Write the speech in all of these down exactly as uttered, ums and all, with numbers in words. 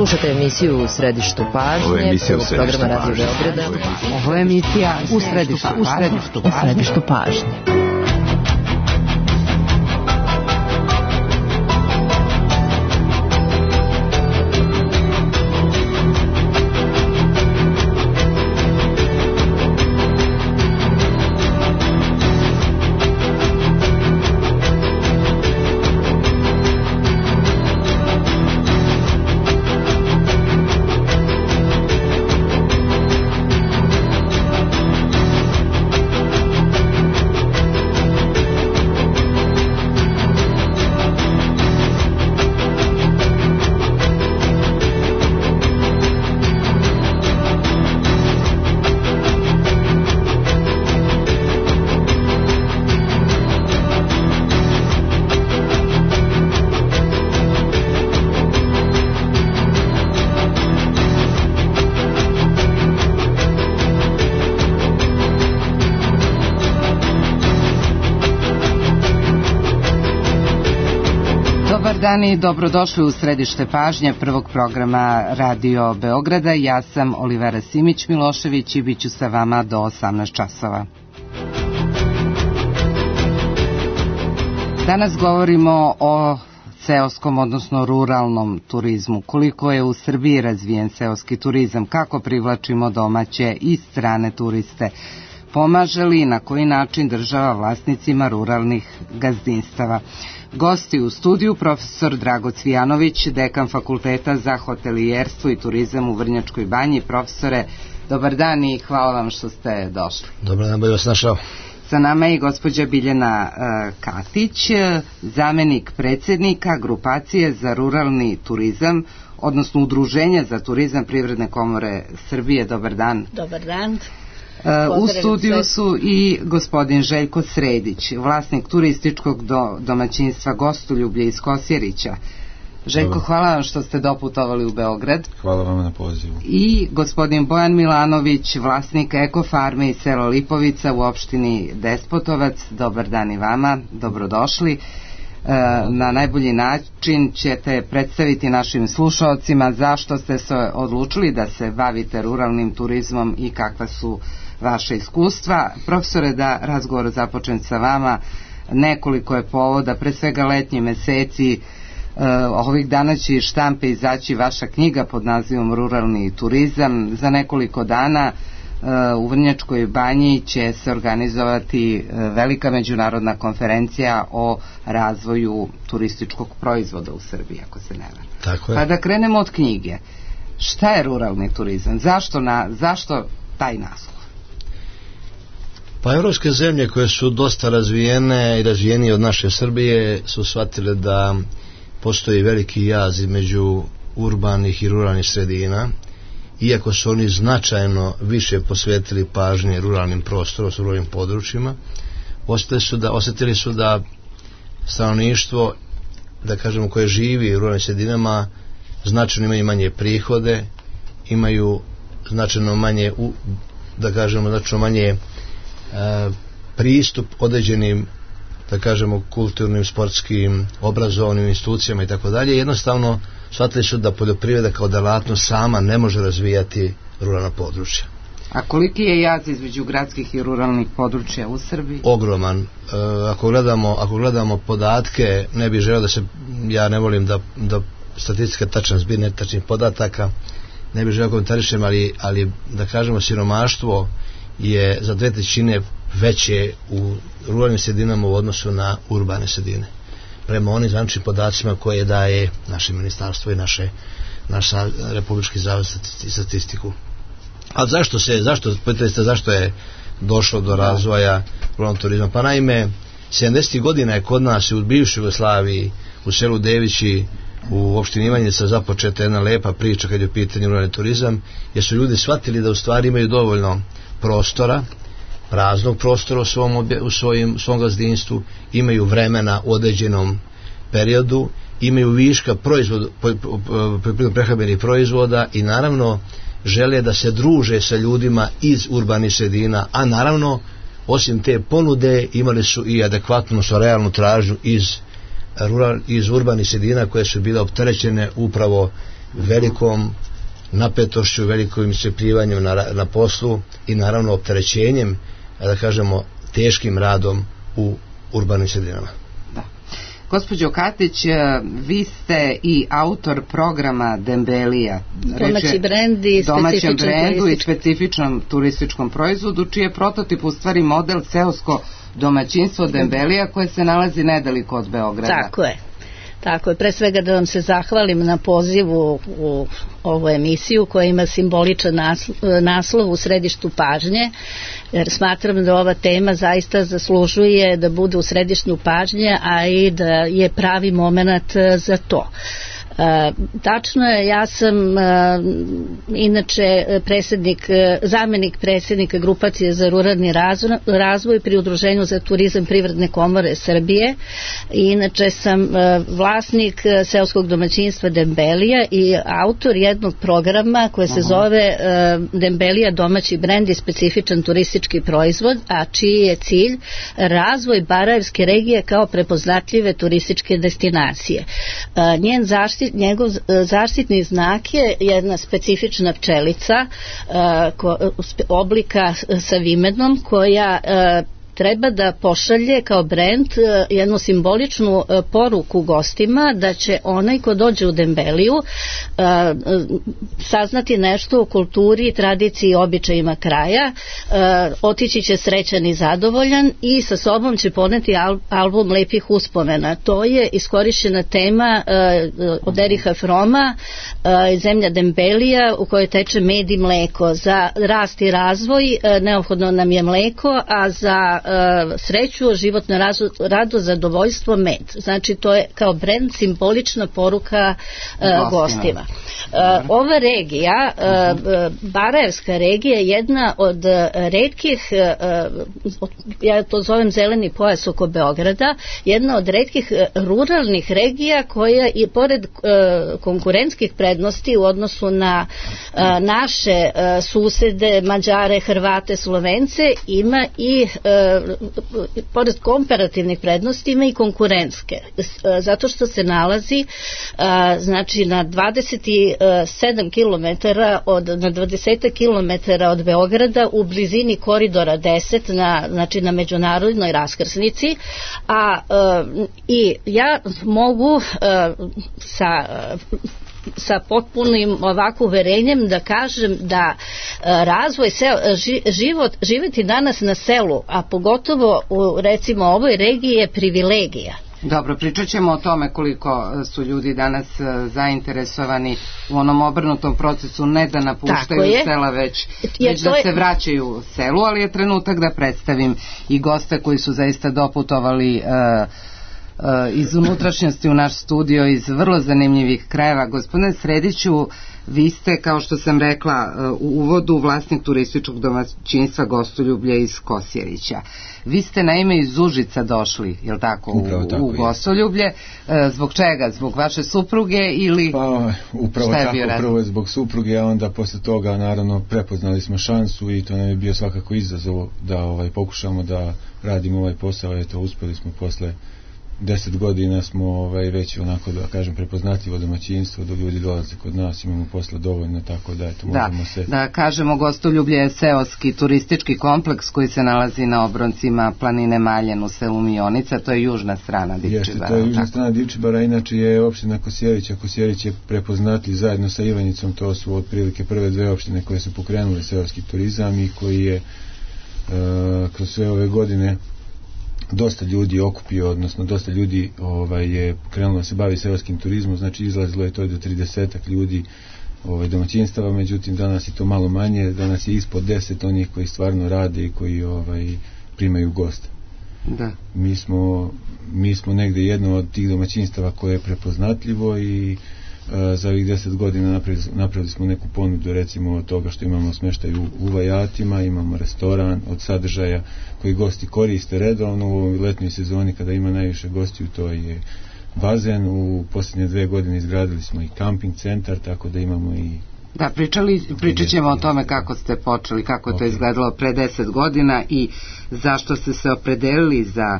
Slušate emisiju U središtu pažnje, prvog programa Radio Beograda. Ovo je emisija U središtu, u središtu, u središtu pažnje. Dani, dobrodošli u središte pažnje prvog programa Radio Beograda. Ja sam Olivera Simić-Milošević i bit ću sa vama do osamnaest časova. Danas govorimo o seoskom, odnosno ruralnom turizmu. Koliko je u Srbiji razvijen seoski turizam, kako privlačimo domaće i strane turiste, pomaže li i na koji način država vlasnicima ruralnih gazdinstava. Gosti u studiju profesor Drago Cvijanović, dekan Fakulteta za hotelijerstvo i turizam u Vrnjačkoj Banji. Profesore, dobar dan i hvala vam što ste došli. Dobar dan, bolje vas našao. Sa nama je i gospođa Biljana uh, Katić, zamenik predsjednika Grupacije za ruralni turizam, odnosno Udruženja za turizam Privredne komore Srbije. Dobar dan. Dobar dan. U studiju su i gospodin Željko Sredić, vlasnik turističkog do, domaćinstva Gostoljublje iz Kosjerića. Željko, Dobar. Hvala vam što ste doputovali u Beograd. Hvala vam na pozivu. I gospodin Bojan Milanović, vlasnik Ekofarme iz sela Lipovica u opštini Despotovac. Dobar dan i vama, dobrodošli. Na najbolji način ćete predstaviti našim slušaocima zašto ste se odlučili da se bavite ruralnim turizmom i kakva su vaše iskustva. Profesore, da razgovor započnem sa vama, nekoliko je povoda, pre svega letnji meseci, ovih dana će iz štampe izaći vaša knjiga pod nazivom Ruralni turizam. Za nekoliko dana u Vrnjačkoj Banji će se organizovati velika međunarodna konferencija o razvoju turističkog proizvoda u Srbiji, ako se ne varam. Tako je. Pa da krenemo od knjige. Šta je ruralni turizam? Zašto, na, zašto taj naslov? Pa evropske zemlje koje su dosta razvijene i razvijenije od naše Srbije su shvatile da postoji veliki jaz između urbanih i ruralnih sredina. Iako su oni značajno više posvetili pažnje ruralnim prostorom, ruralnim područjima, osjetili su da, osjetili su da stanovništvo, da kažemo, koje živi u ruralnim sredinama, značajno imaju manje prihode, imaju značajno manje, da kažemo, značajno manje e, pristup određenim, da kažemo, kulturnim, sportskim, obrazovnim institucijama i tako dalje. Jednostavno shvatili su da poljoprivreda kao delatnost sama ne može razvijati ruralna područja. A koliki je jaz između gradskih i ruralnih područja u Srbiji? Ogroman. E, ako gledamo, ako gledamo podatke, ne bih želeo da se, ja ne volim da, da statistika tačan zbir netačnih podataka, ne bih želeo komentarišem, ali, ali da kažemo, siromaštvo je za dve trećine veće u ruralnim sredinama u odnosu na urbane sredine, prema onim zvaničnim podacima koje daje naše ministarstvo i naše, naš Republički zavod za statistiku. A zašto se, zašto, pitate ste zašto je došlo do razvoja ruralnog turizma? Pa naime, sedamdesetih godina je kod nas u bivšoj Jugoslaviji, u selu Devići, u opštini Ivanjica započeta jedna lepa priča kad je u pitanju ruralni turizam, jer su ljudi shvatili da u stvari imaju dovoljno prostora, praznog prostora u svom, obje, u svojim, svom gazdinstvu, imaju vremena u određenom periodu, imaju viška proizvod, prehrambenih proizvoda i naravno žele da se druže sa ljudima iz urbanih sredina, a naravno osim te ponude imali su i adekvatnu, odnosno realnu tražnju iz, rural, iz urbanih sredina koje su bile opterećene upravo velikom napetošću, velikom iscrpljivanju na, na poslu i naravno opterećenjem, da kažemo, teškim radom u urbanim sredinama. Da. Gospođo Katić, vi ste i autor programa Dembelija, domaći brend i domaćem brendu i specifičnom turističkom proizvodu, čiji je prototip u stvari model seosko domaćinstvo Dembelija koje se nalazi nedaleko od Beograda. Tako je. Tako je, pre svega da vam se zahvalim na pozivu u ovu emisiju koja ima simboličan naslov U središtu pažnje, jer smatram da ova tema zaista zaslužuje da bude u središtu pažnje, a i da je pravi moment za to. E, tačno je, ja sam e, inače predsjednik, zamenik predsjednika grupacije za ruralni razvoj, razvoj pri Udruženju za turizam Privredne komore Srbije i inače sam e, vlasnik seoskog domaćinstva Dembelija i autor jednog programa koje se zove e, Dembelija domaći brend i specifičan turistički proizvod, a čiji je cilj razvoj Barajevske regije kao prepoznatljive turističke destinacije. E, njen zaštit njegov zaštitni znak je jedna specifična pčelica oblika sa vimenom koja treba da pošalje kao brend jednu simboličnu poruku gostima da će onaj ko dođe u Dembeliju saznati nešto o kulturi, tradiciji i običajima kraja, otići će srećan i zadovoljan i sa sobom će poneti album lepih uspomena. To je iskorišćena tema od Eriha Froma, zemlja Dembelija u kojoj teče med i mleko. Za rast i razvoj neophodno nam je mleko, a za sreću, životno rado, zadovoljstvo, med. Znači to je kao brend simbolična poruka uh, gostima. Uh, ova regija, uh, Barajevska regija je jedna od retkih, uh, ja to zovem zeleni pojas oko Beograda, jedna od retkih ruralnih regija koja i pored uh, konkurentskih prednosti u odnosu na uh, naše uh, susede, Mađare, Hrvate, Slovence, ima i uh, pored komparativnih prednosti ima i konkurentske, zato što se nalazi znači na dvadeset sedam kilometara od, na dvadeset kilometara od Beograda u blizini koridora deset na, znači na međunarodnoj raskrsnici, a i ja mogu sa sa potpunim ovako uverenjem da kažem da razvoj seo, život, živjeti danas na selu, a pogotovo u recimo ovoj regiji je privilegija. Dobro, pričat ćemo o tome koliko su ljudi danas zainteresovani u onom obrnutom procesu, ne da napuštaju sela, već, već da je... se vraćaju selu, ali je trenutak da predstavim i goste koji su zaista doputovali uh, iz unutrašnjosti u naš studio iz vrlo zanimljivih krajeva. Gospodine Srediću, vi ste, kao što sam rekla u uvodu, vlasnik turističkog domaćinstva Gostoljublje iz Kosjerića. Vi ste naime iz Užica došli, je li tako, u, tako u Gostoljublje. Zbog čega? Zbog vaše supruge ili pa, upravo šta je tako, bio razlog? Prvo je zbog supruge, a onda posle toga naravno prepoznali smo šansu i to nam je bio svakako izazov da ovaj, pokušamo da radimo ovaj posao. Eto, uspeli smo posle deset godina smo ovaj, već onako da kažem prepoznatljivo domaćinstvo, da ljudi dolaze kod nas, imamo posla dovoljno, tako da eto možemo da, se... Da kažemo, Gostoljublje je seoski turistički kompleks koji se nalazi na obroncima planine Maljen u selu Mionica, to je južna strana Divčibara. Jeste, to je južna strana Divčibara, inače je opština Kosjerića. Kosjerić je prepoznatljiv zajedno sa Ivanjicom, to su otprilike prve dve opštine koje su pokrenule seoski turizam i koji je uh, kroz sve ove godine dosta ljudi okupio, odnosno dosta ljudi ovaj, je krenulo da se bavi seoskim turizmom, znači izlazilo je to do tridesetak ljudi ovaj, domaćinstava, međutim danas je to malo manje, danas je ispod deset onih koji stvarno rade i koji ovaj, primaju goste. Da. Mi smo, mi smo negde jedno od tih domaćinstava koje je prepoznatljivo i a, za ovih deset godina napravili, napravili smo neku ponudu, recimo od toga što imamo smeštaj u, u Vajatima, imamo restoran od sadržaja koji gosti koriste redovno u ovoj letnjoj sezoni kada ima najviše gostiju, to je bazen. U posljednje dve godine izgradili smo i kamping centar, tako da imamo i... Da, pričali, pričat ćemo o tome kako ste počeli, kako je to izgledalo pre deset godina i zašto ste se opredelili za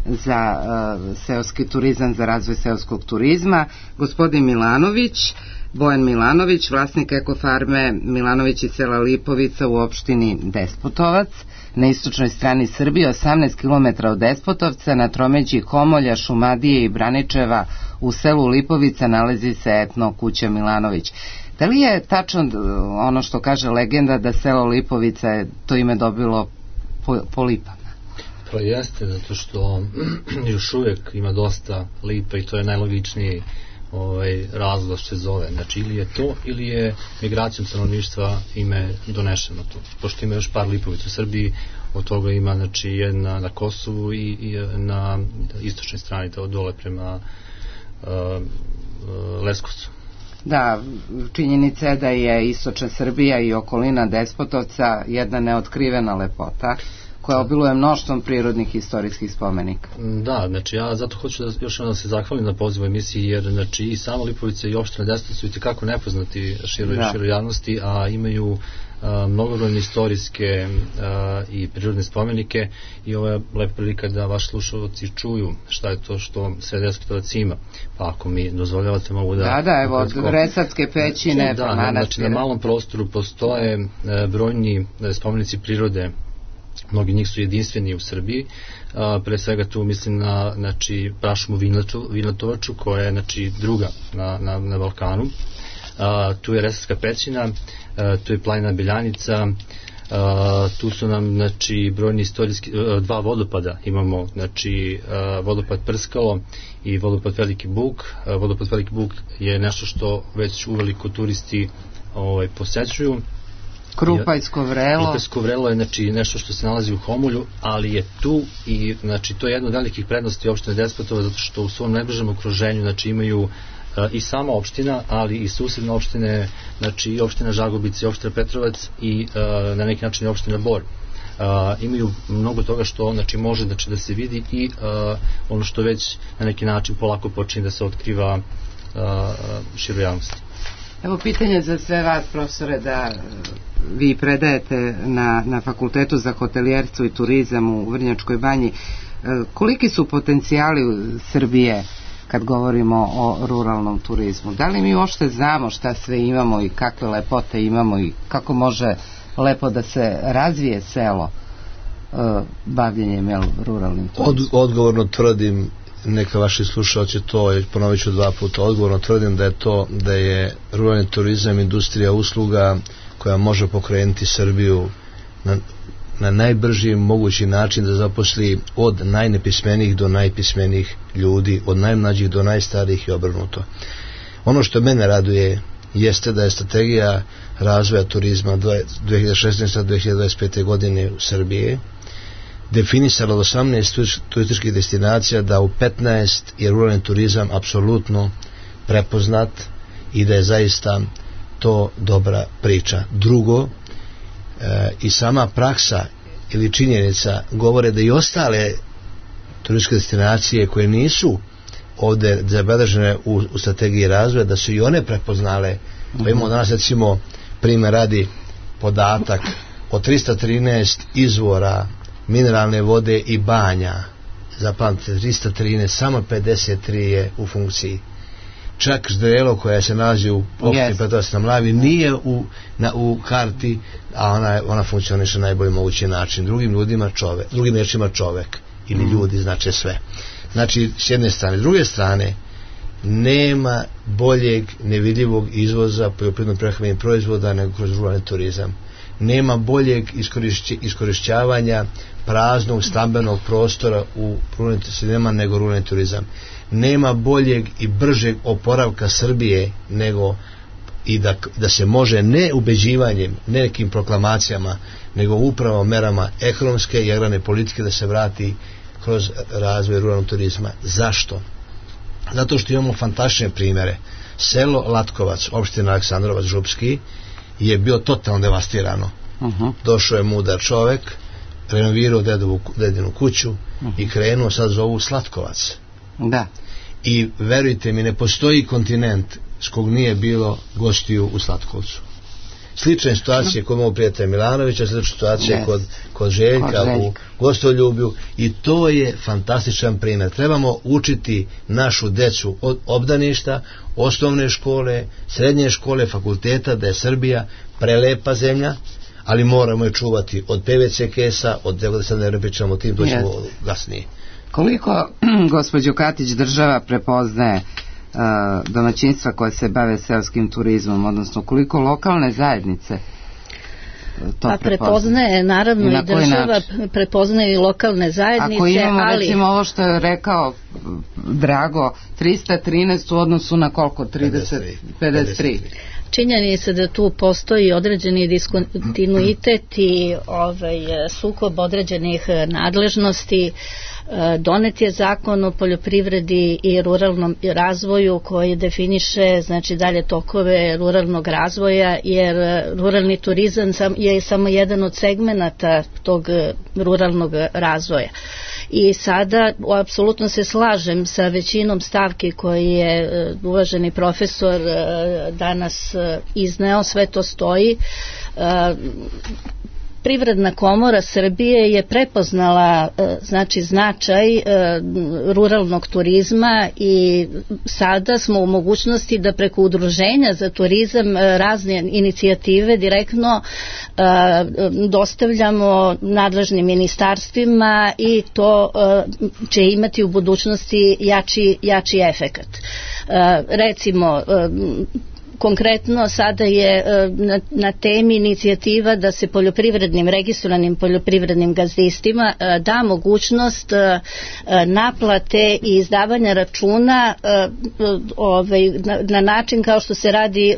za uh, seoski turizam, za razvoj seoskog turizma. Gospodin Milanović, Bojan Milanović, vlasnik ekofarme Milanović iz sela Lipovica u opštini Despotovac, na istočnoj strani Srbije, osamnaest kilometara od Despotovca, na tromeđi Komolja, Šumadije i Braničeva u selu Lipovica nalazi se etno kuća Milanović. Da li je tačno ono što kaže legenda da selo Lipovica je to ime dobilo po, po lipama? Pa jeste, zato što još uvijek ima dosta lipa i to je najlogičniji ovaj, razlog što se zove. Znači, ili je to, ili je migracijom stanovništva ime donešeno tu. Pošto ima još par lipovica u Srbiji, od toga ima, znači, jedna na Kosovu i, i na istočnoj strani, to dole prema uh, uh, Leskovcu. Da, činjenica je da je istočna Srbija i okolina Despotovca jedna neotkrivena lepota koja obiluje mnoštvom prirodnih i istorijskih spomenika. Da, znači ja zato hoću da još jednom se zahvalim na pozivu emisiji, jer znači i sama Lipovica i opština Despotovac su itekako nepoznati široj, da. široj javnosti, a imaju a, mnogobrojne istorijske a, i prirodne spomenike i ovo je lepa prilika da vaši slušalci čuju šta je to što sve Despotovac ima. Pa ako mi dozvoljavate mogu da... Da, da, evo, od Resavske pećine, da, pa manastire. Znači na malom prostoru postoje a, brojni a, spomenici prirode. Mnogi njih su jedinstveni u Srbiji, a, pre svega tu mislim na znači, prašumu Vinatovaču koja je znači, druga na, na, na Balkanu, a, tu je Resavska pećina, a, tu je planina Beljanica, a, tu su nam znači, brojni istorijski, a, dva vodopada imamo, znači a, vodopad Prskalo i vodopad Veliki Buk. A, vodopad Veliki Buk je nešto što već uveliko turisti ovaj, posećuju. Krupajsko vrelo. Krupajsko vrelo je znači, nešto što se nalazi u Homolju, ali je tu i znači, to je jedna od velikih prednosti opštine Despotovac, zato što u svom najbližem okruženju znači, imaju uh, i sama opština, ali i susedne opštine, znači i opština Žagubica i opština Petrovac i uh, na neki način i opština Bor. Uh, imaju mnogo toga što znači, može znači, da se vidi i uh, ono što već na neki način polako počinje da se otkriva uh, široj javnosti. Evo pitanje za sve vas, profesore, da vi predajete na, na Fakultetu za hotelijerstvo i turizam u Vrnjačkoj Banji. Koliki su potencijali Srbije kad govorimo o ruralnom turizmu? Da li mi uopšte znamo šta sve imamo i kakve lepote imamo i kako može lepo da se razvije selo bavljenjem jel, ruralnim turizmom? Od, odgovorno tvrdim, neka vaši slušalci to, ponovit ću dva puta, odgovorno tvrdim da je to, da je ruralni turizam industrija usluga koja može pokrenuti Srbiju na, na najbrži mogući način da zaposli od najnepismenijih do najpismenijih ljudi, od najmlađih do najstarijih i obrnuto. Ono što mene raduje jeste da je strategija razvoja turizma dve hiljade šesnaeste do dve hiljade dvadeset pete godine u Srbiji definisalo od osamnaest turističkih destinacija da u petnaest je ruralni turizam apsolutno prepoznat i da je zaista to dobra priča. Drugo, e, i sama praksa ili činjenica govore da i ostale turističke destinacije koje nisu ovde zabeležene u, u strategiji razvoja, da su i one prepoznale. Pa imamo danas recimo primjer radi podatak od trista trinaest izvora mineralne vode i banja, zapamtite trista trinaest, samo pedeset tri je u funkciji. Čak Ždrelo koja se nalazi u opštini Petrovac na Mlavi nije u, na, u karti, a ona, ona funkcioniše na najbolji mogući način. Drugim ljudima čovek, drugim rečima čovek ili ljudi znače sve. Znači, s jedne strane. S druge strane, nema boljeg nevidljivog izvoza poljoprivredno prehrambenih proizvoda nego kroz ruralni turizam. Nema boljeg iskorišćavanja praznog stambenog prostora u ruralnim sredinama nego ruralni turizam. Nema boljeg i bržeg oporavka Srbije nego i da, da se može ne ubeđivanjem, ne nekim proklamacijama, nego upravo merama ekonomske i agrarne politike da se vrati kroz razvoj ruralnog turizma. Zašto? Zato što imamo fantastične primjere. Selo Latkovac, opština Aleksandrovac Župski, je bio totalno devastirano. Uh-huh. Došao je mudar čovek, renovirao dedovu, dedinu kuću uh-huh. i krenuo sad zovu Slatkovac. Da. I verujte mi, ne postoji kontinent s kog nije bilo gostiju u Slatkovcu. slične situacije kod mog prijatelja Milanovića, slične situacije yes. kod, kod Željka kod u Gostoljublju, i to je fantastičan primjer. Trebamo učiti našu decu od obdaništa, osnovne škole, srednje škole, fakulteta, da je Srbija prelepa zemlja, ali moramo je čuvati od P V C kesa, od tego da sad ne pričamo o tim, to ćemo yes. gasnije. Koliko, gospođo Katić, država prepoznaje uh, domaćinstva koje se bave seoskim turizmom, odnosno koliko lokalne zajednice to pa prepoznaje, naravno i, na i država način? Prepoznaje i lokalne zajednice. Ako imamo ali... recimo ovo što je rekao Drago, trista trinaest u odnosu na koliko? trideset, pedeset tri. Činjenica da tu postoji određeni diskontinuitet i ovaj, sukob određenih nadležnosti. Donet je zakon o poljoprivredi i ruralnom razvoju koji definiše, znači, dalje tokove ruralnog razvoja, jer ruralni turizam je samo jedan od segmenata tog ruralnog razvoja. I sada apsolutno se slažem sa većinom stavki koji je uvaženi profesor danas izneo, sve to stoji. Privredna komora Srbije je prepoznala znači značaj ruralnog turizma i sada smo u mogućnosti da preko udruženja za turizam razne inicijative direktno dostavljamo nadležnim ministarstvima i to će imati u budućnosti jači, jači efekat. Recimo, konkretno sada je na, na temi inicijativa da se poljoprivrednim, registrovanim poljoprivrednim gazdinstvima da mogućnost naplate i izdavanja računa ovaj, na, na način kao što se radi,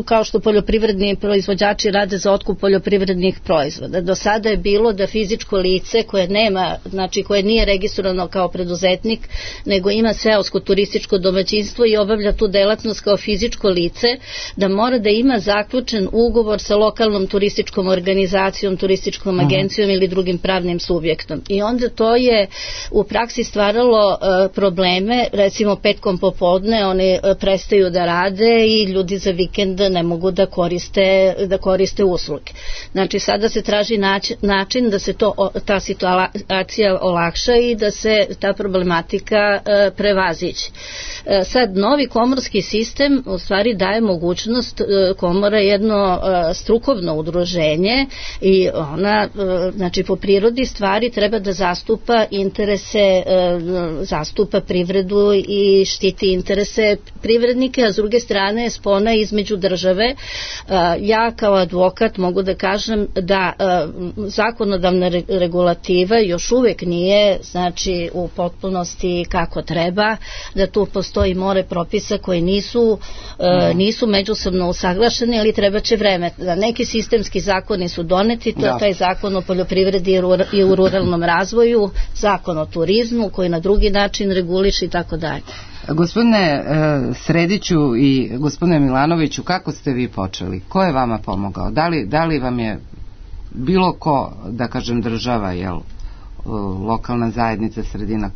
kao što poljoprivredni proizvođači rade za otkup poljoprivrednih proizvoda. Do sada je bilo da fizičko lice koje nema, znači koje nije registrovano kao preduzetnik, nego ima seosko turističko domaćinstvo i obavlja tu delatnost kao fizičko lice, da mora da ima zaključen ugovor sa lokalnom turističkom organizacijom, turističkom agencijom ili drugim pravnim subjektom. I onda to je u praksi stvaralo uh, probleme, recimo petkom popodne oni uh, prestaju da rade i ljudi za vikend ne mogu da koriste, da koriste usluge. Znači sada se traži način, način da se to, ta situacija olakša i da se ta problematika uh, prevaziđe. Uh, sad novi komorski sistem u stvari daje mogućnost, komora je jedno strukovno udruženje i ona, znači po prirodi stvari treba da zastupa interese, zastupa privredu i štiti interese privrednike, a s druge strane je spona između države. Ja kao advokat mogu da kažem da zakonodavna regulativa još uvek nije, znači, u potpunosti kako treba, da tu postoji more propisa koji nisu nisu međusobno usaglašeni, ali treba će vreme. Da neki sistemski zakoni su doneti, to je taj zakon o poljoprivredi i u ruralnom razvoju, zakon o turizmu koji na drugi način reguliše i tako dalje. Gospodine Srediću i gospodine Milanoviću, kako ste vi počeli? Ko je vama pomogao? Da li, da li vam je bilo ko, da kažem država, jel, lokalna zajednica, sredina?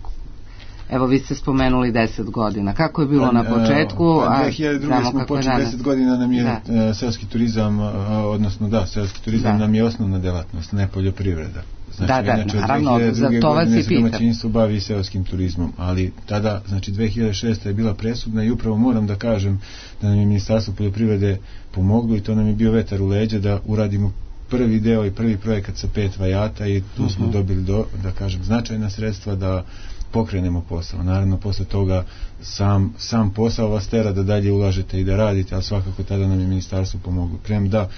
Evo, vi ste spomenuli deset godina. Kako je bilo pa, na početku? A dve hiljade druge smo počeli, deset godina nam je da. seoski turizam, odnosno da, seoski turizam da. nam je osnovna delatnost, ne poljoprivreda. Znači, da, da, znači, naravno, za to vas i pitam. Domaćinstvo bavi seoskim turizmom, ali tada, znači dve hiljade šeste je bila presudna i upravo moram da kažem da nam je Ministarstvo poljoprivrede pomoglo i to nam je bio vetar u leđa da uradimo prvi deo i prvi projekat sa pet vajata i tu uh-huh. smo dobili, do, da kažem, značajna sredstva da pokrenemo posao. Naravno, posle toga sam, sam posao vas tera da dalje ulažete i da radite, ali svakako tada nam je ministarstvo pomoglo. Prem da,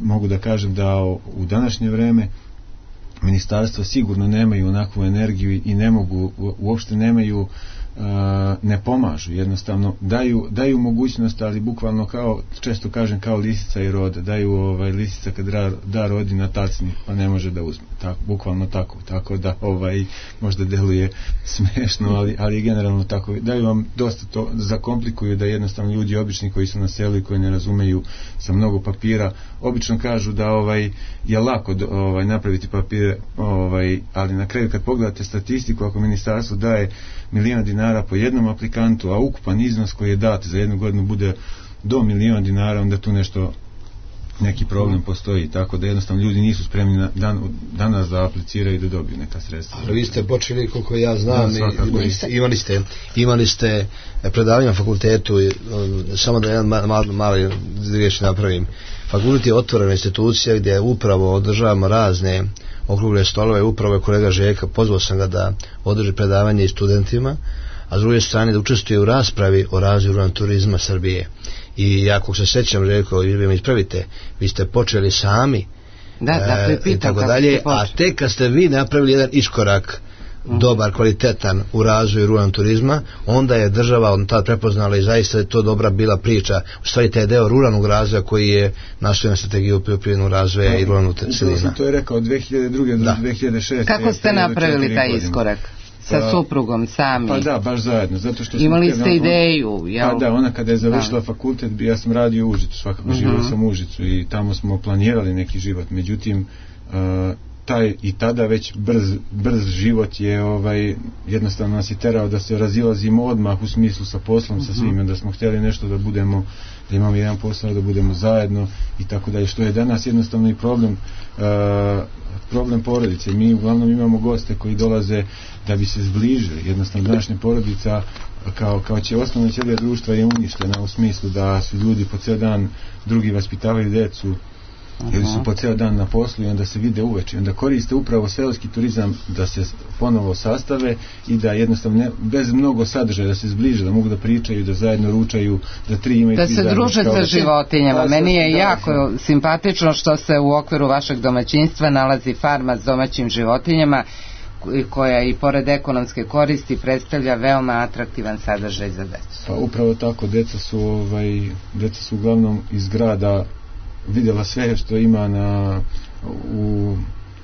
mogu da kažem da u današnje vreme ministarstvo sigurno nemaju onakvu energiju i ne mogu, uopšte nemaju, ne pomažu, jednostavno daju, daju mogućnost, ali bukvalno kao, često kažem, kao lisica i roda, daju ovaj, lisica kad da, da rodi na tacni pa ne može da uzme, tako, bukvalno tako, tako da ovaj, možda deluje smešno, ali, ali generalno tako, daju vam dosta to, zakomplikuju da jednostavno ljudi obični koji su na selu i koji ne razumeju sa mnogo papira, obično kažu da ovaj, je lako ovaj, napraviti papire, ovaj, ali na kraju kad pogledate statistiku, ako ministarstvo daje miliona dinara po jednom aplikantu, a ukupan iznos koji je dat za jednu godinu bude do miliona dinara, onda tu nešto neki problem postoji, tako da jednostavno ljudi nisu spremni na, dan, danas da apliciraju i da dobiju neka sredstva. Ali vi ste počeli, koliko ja znam, da, imali, ste, imali, ste, imali ste predavanje na fakultetu, samo da jedan mali, mali riječ napravim. Fakultet je otvorena institucija gdje upravo održavamo razne okrugle stolove, upravo je kolega Žeka, pozvao sam ga da održi predavanje i studentima, a s druge strane da učestvuje u raspravi o razvoju ruralnog turizma Srbije. I ako se sećam, Željko, vi me ispravite, vi ste počeli sami, da, da, e, i tako dalje, a tek kad ste vi napravili jedan iskorak mm. dobar, kvalitetan u razvoju ruralnog turizma, onda je država on tad prepoznala i zaista je to dobra bila priča. U stvari taj deo ruralnog razvoja koji je nastoji na strategiju poljoprivrednog razvoja no, i ruralnog sredina. To je rekao od dve hiljade druge do dve hiljade šeste. Kako ste napravili taj iskorak? Sa pa, suprugom sami. Pa da, baš zajedno. Zato što imali ste on, ideju. Jel? Pa da, ona kada je završila da. fakultet, ja sam radio u Užicu, svakako uh-huh. živio sam u Užicu i tamo smo planirali neki život. Međutim, uh, taj i tada već brz, brz život je ovaj, jednostavno nas je terao da se razilazimo odmah u smislu sa poslom, uh-huh. sa svime, da smo htjeli nešto da budemo, da imamo jedan posao, da budemo zajedno i tako dalje, što je danas jednostavno i problem uh, problem porodice. Mi uglavnom imamo goste koji dolaze da bi se zbližili. Jednostavno današnja porodica kao, kao će osnovna ćelija društva je uništena u smislu da su ljudi po ceo dan drugi vaspitavaju decu uh-huh. ili su po ceo dan na poslu i onda se vide uveče. Onda koriste upravo seoski turizam da se ponovo sastave i da jednostavno ne, bez mnogo sadržaja da se zbliže, da mogu da pričaju, da zajedno ručaju, da tri imaju da se druže sa životinjama. Da, meni je jako da, simpatično što se u okviru vašeg domaćinstva nalazi farma s domaćim životinjama koja i pored ekonomske koristi predstavlja veoma atraktivan sadržaj za decu. Pa upravo tako, deca su, ovaj, deca su uglavnom iz grada vidjela sve što ima na u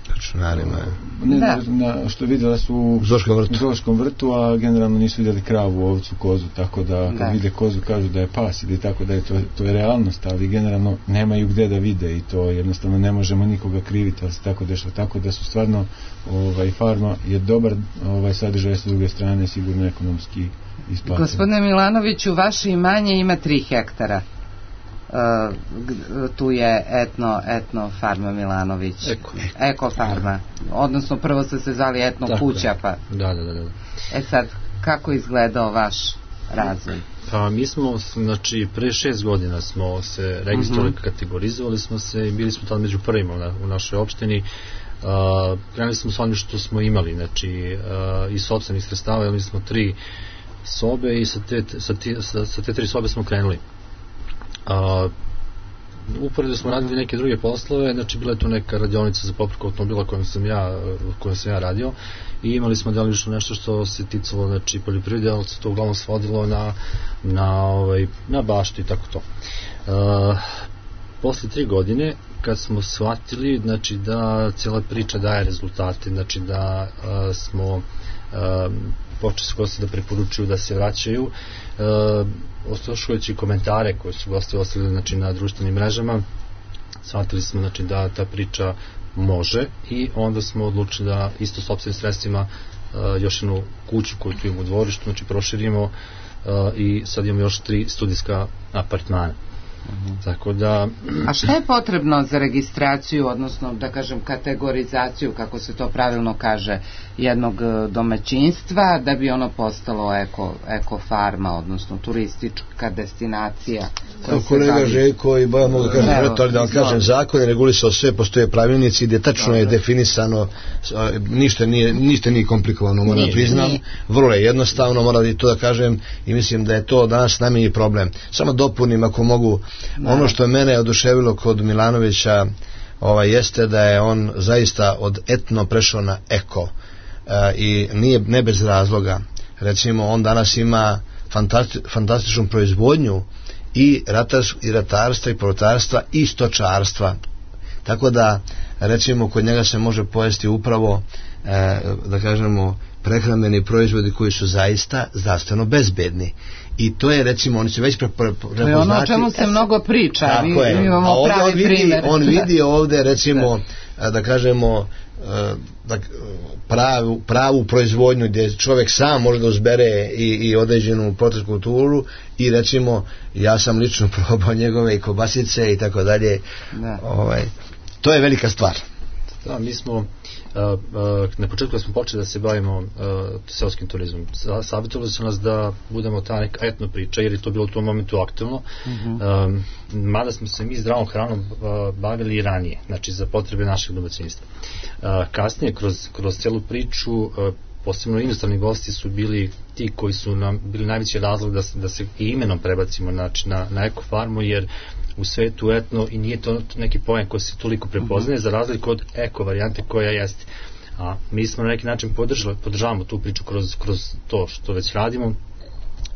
računarima. Ne, da. na, što vidjela su u zoološkom vrtu. vrtu, a generalno nisu vidjeli kravu, ovcu, kozu, tako da kad da. vide kozu kažu da je pas ili tako da je to, to je realnost, ali generalno nemaju gdje da vide i to jednostavno ne možemo nikoga kriviti, ali se tako dešava, tako da su stvarno ovaj, farma je dobar ovaj, sadržaj, s druge strane sigurno ekonomski isplatan. Gospodine Milanoviću, vaše imanje ima tri hektara. Uh, tu je etno, etno farma Milanović. Eko. Eko farma. Odnosno prvo ste se zvali etno tako kuća pa. Da, da, da, da. E sad, kako izgledao vaš razvoj? Pa mi smo, znači, pre šest godina smo se registrovali, uh-huh. kategorizovali smo se i bili smo tad među prvima na, u našoj opštini. Uh, krenuli smo s onim što smo imali, znači, uh, iz sopstvenih sredstava, imali smo tri sobe i sa te, sa, te, sa, sa te tri sobe smo krenuli. Uh, uporedo smo radili neke druge poslove, znači bila je tu neka radionica za popravku automobila kojom sam ja, kojom sam ja radio i imali smo delimično nešto što se ticalo, znači, poljoprivrede, ali se to uglavnom svodilo na, na, ovaj, na baštu i tako to. Uh, posle tri godine kad smo shvatili, znači, da cijela priča daje rezultate, znači da uh, smo uh, počeli su gosti da preporučuju da se vraćaju, uh, oslušujući komentare koje su gosti ostavili, znači, na društvenim mrežama, shvatili smo, znači, da ta priča može i onda smo odlučili da isto sopstvenim sredstvima uh, još jednu kuću koju tu imamo u dvorištu, znači, proširimo uh, i sad imamo još tri studijska apartmana. Uh-huh. Tako da... A šta je potrebno za registraciju, odnosno da kažem kategorizaciju, kako se to pravilno kaže, jednog domaćinstva da bi ono postalo eko, eko farma, odnosno turistička destinacija? Kolega bavi... Željko i Bojan mogu da kažem, Evo, ali da vam kažem, zakon je regulisao sve, postoje pravilnici gdje tačno Dobre. je definisano, ništa nije, ništa nije komplikovano, moram da priznam, vrlo je jednostavno, moram i to da kažem i mislim da je to danas najmanji problem. Samo dopunim ako mogu. Ono što je mene oduševilo kod Milanovića ovaj, jeste da je on zaista od etno prešao na eko e, i nije ne bez razloga. Recimo on danas ima fantasti, fantastičnu proizvodnju i, ratars, i ratarstva i povrtarstva i stočarstva, tako da recimo kod njega se može pojesti upravo e, da kažemo prehrambeni proizvodi koji su zaista zdravstveno bezbedni. I to je, recimo, oni se već prepoznati. To je ono o čemu se mnogo priča. Tako mi, je. mi imamo on pravi vidi, primjer. On vidi ovde, recimo, da, da kažemo, da, pravu, pravu proizvodnju gdje čovjek sam može da uzbere i, i određenu protein kulturu i, recimo, ja sam lično probao njegove i kobasice i tako dalje. Ovaj, to je velika stvar. Da, mi smo uh, uh, na početku smo počeli da se bavimo uh, seoskim turizmom. Savjetovali su nas da budemo ta neka etno priča, jer je to bilo u tom momentu aktualno. Uh-huh. Um, mada smo se mi zdravom hranom uh, bavili i ranije, znači za potrebe našeg domaćinstva. Uh, kasnije, kroz, kroz celu priču, uh, posebno inostrani gosti su bili ti koji su nam bili najveći razlog da se, da se i imenom prebacimo, znači, na, na ekofarmu, jer u svetu etno i nije to neki pojam koji se toliko prepoznaje, uh-huh. za razliku od eko varijante koja jeste. A mi smo na neki način podržali, podržavamo tu priču kroz, kroz to što već radimo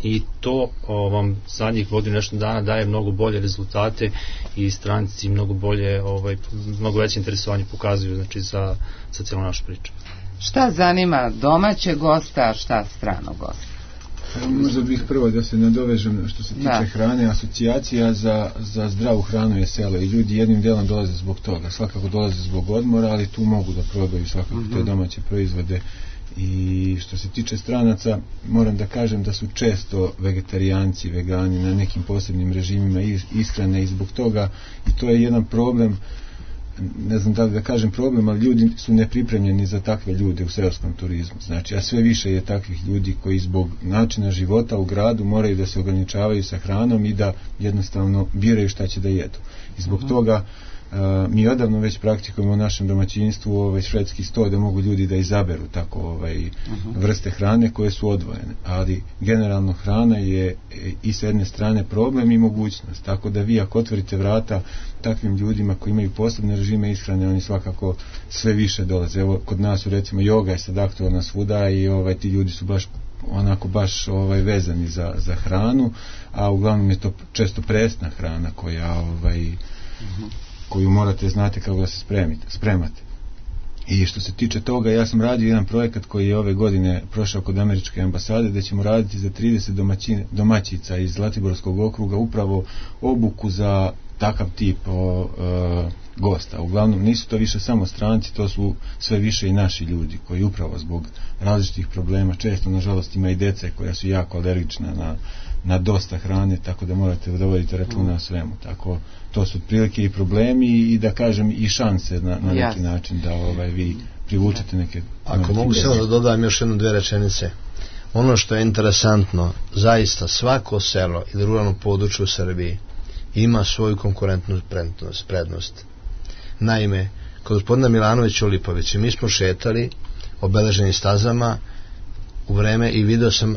i to o, vam zadnjih godinu nešto dana daje mnogo bolje rezultate i stranici mnogo bolje, ovaj, mnogo veće interesovanje pokazuju, znači, za, za cijelu našu priču. Šta zanima domaće gosta, a šta stranog gosta? Možda bih prvo da se nadovežem što se tiče da. hrane, asocijacija za, za zdravu hranu je selo i ljudi jednim delom dolaze zbog toga, svakako dolaze zbog odmora, ali tu mogu da probaju svakako mm-hmm. te domaće proizvode. I što se tiče stranaca, moram da kažem da su često vegetarijanci, vegani na nekim posebnim režimima ishrane i zbog toga, i to je jedan problem, ne znam da li da kažem problem, ali ljudi su nepripremljeni za takve ljude u seoskom turizmu. Znači, a sve više je takvih ljudi koji zbog načina života u gradu moraju da se ograničavaju sa hranom i da jednostavno biraju šta će da jedu. I zbog uh-huh. toga uh, mi odavno već praktikujemo u našem domaćinstvu ovaj švedski sto da mogu ljudi da izaberu tako ovaj uh-huh. vrste hrane koje su odvojene. Ali generalno hrana je i s jedne strane problem i mogućnost. Tako da vi ako otvorite vrata takvim ljudima koji imaju posebne režime ishrane, oni svakako sve više dolaze. Evo, kod nas su, recimo, joga je sad aktualna svuda i ovaj, ti ljudi su baš onako baš ovaj, vezani za, za hranu, a uglavnom je to često presna hrana koja ovaj, uh-huh. koju morate znati kako da se spremite, spremate. I što se tiče toga, ja sam radio jedan projekat koji je ove godine prošao kod američke ambasade, da ćemo raditi za trideset domaćine, domaćica iz Zlatiborskog okruga upravo obuku za takav tip o, e, gosta. Uglavnom nisu to više samo stranci, to su sve više i naši ljudi koji upravo zbog različitih problema, često nažalost ima i dece koja su jako alergična na, na dosta hrane, tako da morate da vodite računa o svemu. Tako, to su otprilike i problemi i da kažem i šanse na, na neki način da ovaj, vi privučete neke... Ako mogu samo da dodam još jednu dve rečenice. Ono što je interesantno, zaista svako selo ili ruralno područje u Srbiji ima svoju konkurentnu prednost, prednost. Naime, kod gospodina Milanovića u Lipovici mi smo šetali obeleženi stazama u vreme i video sam,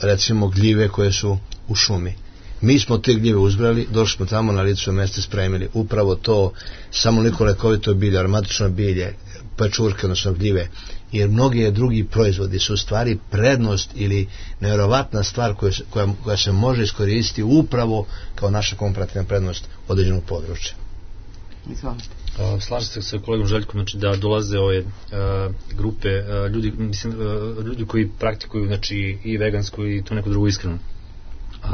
recimo, gljive koje su u šumi. Mi smo te gljive uzbrali, došli smo tamo na licu mesta, spremili upravo to, samo neko lekovito bilje, aromatično bilje, pečurke, odnosno gljive, jer mnogi drugi proizvodi su u stvari prednost ili nevjerovatna stvar koja, koja, koja se može iskoristiti upravo kao naša komparativna prednost određenog područja. Izvolite. Uh, slažem se sa kolegom Željkom, znači da dolaze ove uh, grupe uh, ljudi, mislim, uh, ljudi koji praktikuju, znači, i vegansku i to neku drugu ishranu. Uh,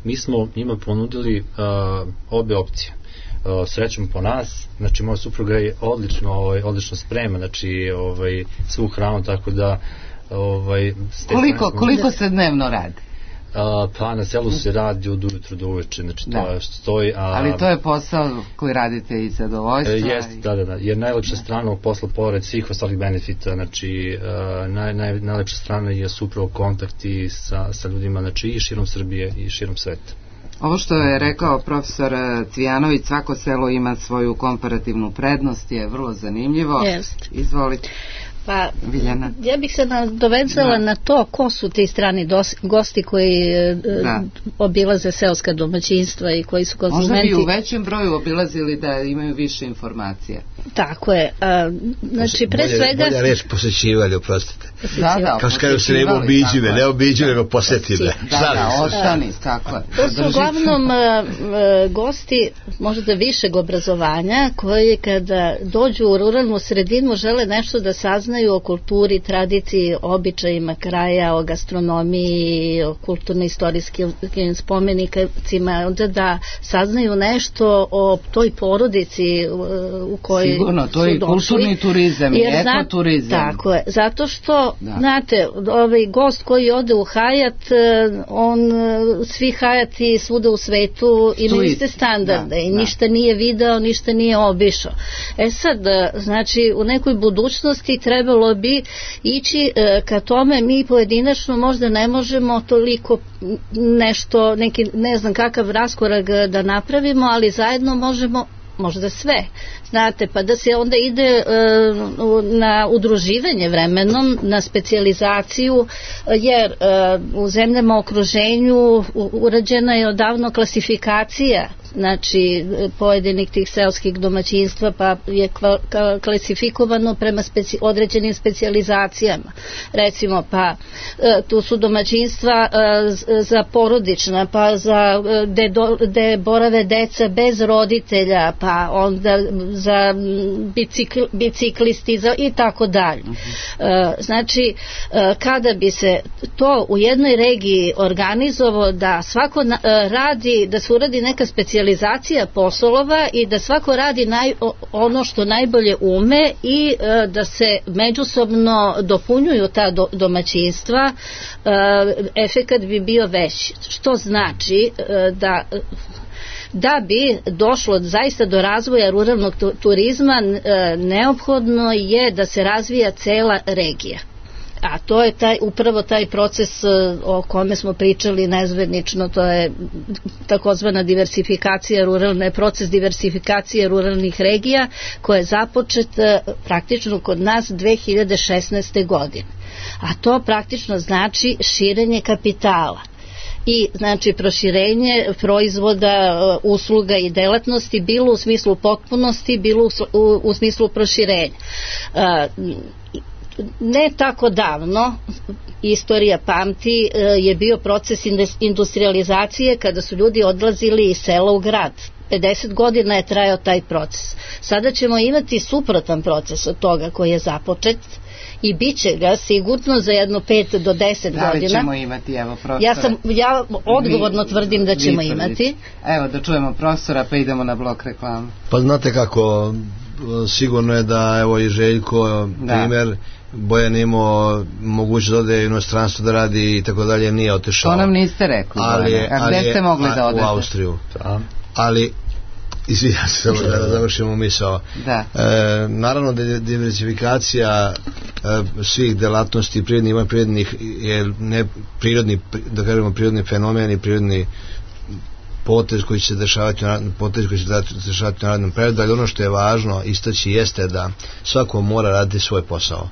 mi smo njima ponudili uh, obe opcije. Uh, srećom po nas, znači moja supruga je odlično, ovaj, odlično sprema, znači ovaj, svu hranu, tako da ovaj, koliko, koliko se dnevno radi? Uh, pa na selu se radi od ujutru do uveče, znači da. To je što stoji. A, ali to je posao koji radite i zadovoljstva? E, jest, i... da, da, da, jer najlepša da. strana ovog posla, pored svih ostalih benefita, znači uh, naj, naj, najlepša strana je upravo kontakti sa, sa ljudima, znači i širom Srbije i širom sveta. Ovo što je rekao profesor Cvijanović, svako selo ima svoju komparativnu prednost, je vrlo zanimljivo. Jest. Izvolite. Pa, Viljana. Ja bih se nadovezala na to ko su ti strani dos, gosti koji da. obilaze seoska domaćinstva i koji su konzumenti. Možda bi u većem broju obilazili da imaju više informacija. Tako je. A, znači, pre bolje, svega... Bolja reč, posjećivali, oprostite. Da, da, kao što kažu se ne obiđive, ne obiđive, nego posjetile. Da, da, ostani, tako je. To su uglavnom gosti možda višeg obrazovanja koji kada dođu u ruralnu sredinu žele nešto da saznaju saznaju o kulturi, tradiciji, običajima kraja, o gastronomiji, o kulturno-istorijskim spomenicima, onda da saznaju nešto o toj porodici u kojoj sigurno, to su je došli. Kulturni turizam i ekoturizam. Tako je, zato što, da. znate, ovaj gost koji ode u Hajat, on, svi Hajati svuda u svetu imaju iste standarde, da, i da. Ništa nije video, ništa nije obišao. E sad, znači, u nekoj budućnosti trebalo bi ići ka tome, mi pojedinačno možda ne možemo toliko nešto, neki, ne znam kakav raskorak da napravimo, ali zajedno možemo možda sve, znate, pa da se onda ide e, na udruživanje vremenom, na specijalizaciju, jer e, u zemljama u okruženju urađena je odavno klasifikacija, znači pojedinih tih seoskih domaćinstva, pa je kva, ka, klasifikovano prema speci, određenim specijalizacijama. Recimo, pa e, tu su domaćinstva e, za porodična, pa za gde, do, gde borave deca bez roditelja, pa onda za bicikl, biciklisti za, i tako dalje. E, znači, e, kada bi se to u jednoj regiji organizovalo da svako na, e, radi, da se uradi neka specijalizacija poslova i da svako radi naj, ono što najbolje ume i e, da se međusobno dopunjuju ta do, domaćinstva, e, efekat bi bio veći. Što znači e, da da bi došlo zaista do razvoja ruralnog turizma, e, neophodno je da se razvija cela regija. A to je taj, upravo taj proces o kome smo pričali nezvednično, to je takozvana diversifikacija ruralne, proces diversifikacije ruralnih regija koja je započet praktično kod nas dve hiljade šesnaeste. godine. A to praktično znači širenje kapitala i znači proširenje proizvoda, usluga i delatnosti, bilo u smislu potpunosti, bilo u, u, u smislu proširenja. Ne tako davno, istorija pamti, je bio proces industrializacije kada su ljudi odlazili iz sela u grad. pedeset godina je trajao taj proces. Sada ćemo imati suprotan proces od toga koji je započet i bit će ga sigurno za jedno pet do deset godina. Da li ćemo imati, evo, profesora? Ja, sam, ja odgovorno tvrdim da ćemo imati. Evo, da čujemo profesora, pa idemo na blok reklamu. Pa znate kako, sigurno je da, evo, i Željko, primjer, Bojan imao moguće da ode u inostranstvo da radi i tako dalje, nije otišao. To nam niste rekli. Ali je, a gde ste mogli da odete? U Austriju. Da. Ali, izvijam se samo da završimo misao. Da. E, naravno da je diversifikacija e, svih delatnosti prirodnih ima prirodnih je ne prirodni, da kažemo prirodni fenomen i prirodni potez koji će se dešavati potez koji će se dešavati na radnom periodu, ali ono što je važno istaći jeste da svako mora raditi svoj posao.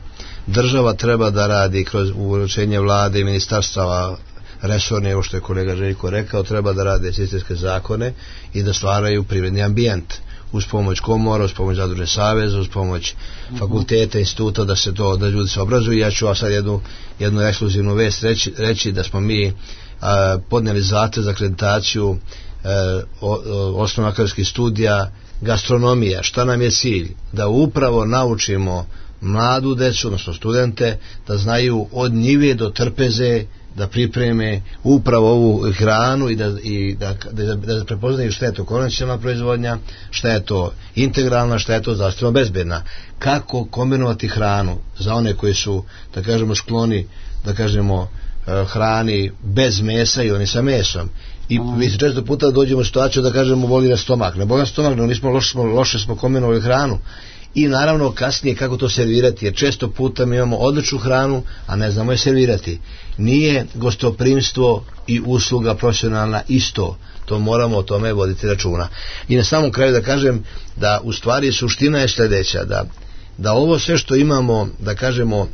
Država treba da radi kroz uručenje vlade i ministarstava resorne, evo što je kolega Željko rekao, treba da rade sistemske zakone i da stvaraju privredni ambijent uz pomoć komora, uz pomoć zadružne saveza, uz pomoć fakulteta, instituta, da se to, da ljudi se obrazuju. Ja ću vam sad jednu, jednu ekskluzivnu vest reći, reći da smo mi a, podneli zahtev za akreditaciju osnovno akademskih studija gastronomija. Šta nam je cilj? Da upravo naučimo mladu decu, odnosno studente, da znaju od njive do trpeze da pripreme upravo ovu hranu i da, i da, da, da prepoznaju šta je to konvencionalna proizvodnja, šta je to integralna, šta je to zdravstveno bezbedna. Kako kombinovati hranu za one koji su, da kažemo, skloni, da kažemo, hrani bez mesa i oni sa mesom. I mi se često puta dođemo u situaciju da kažemo boli na stomak. Ne boli na stomak, no nismo loše, smo, loše smo kombinovali hranu. I naravno kasnije kako to servirati, jer često puta mi imamo odličnu hranu, a ne znamo je servirati. Nije gostoprimstvo i usluga profesionalna isto, to moramo o tome voditi računa. I na samom kraju da kažem da u stvari suština je sljedeća, da, da ovo sve što imamo, da kažemo,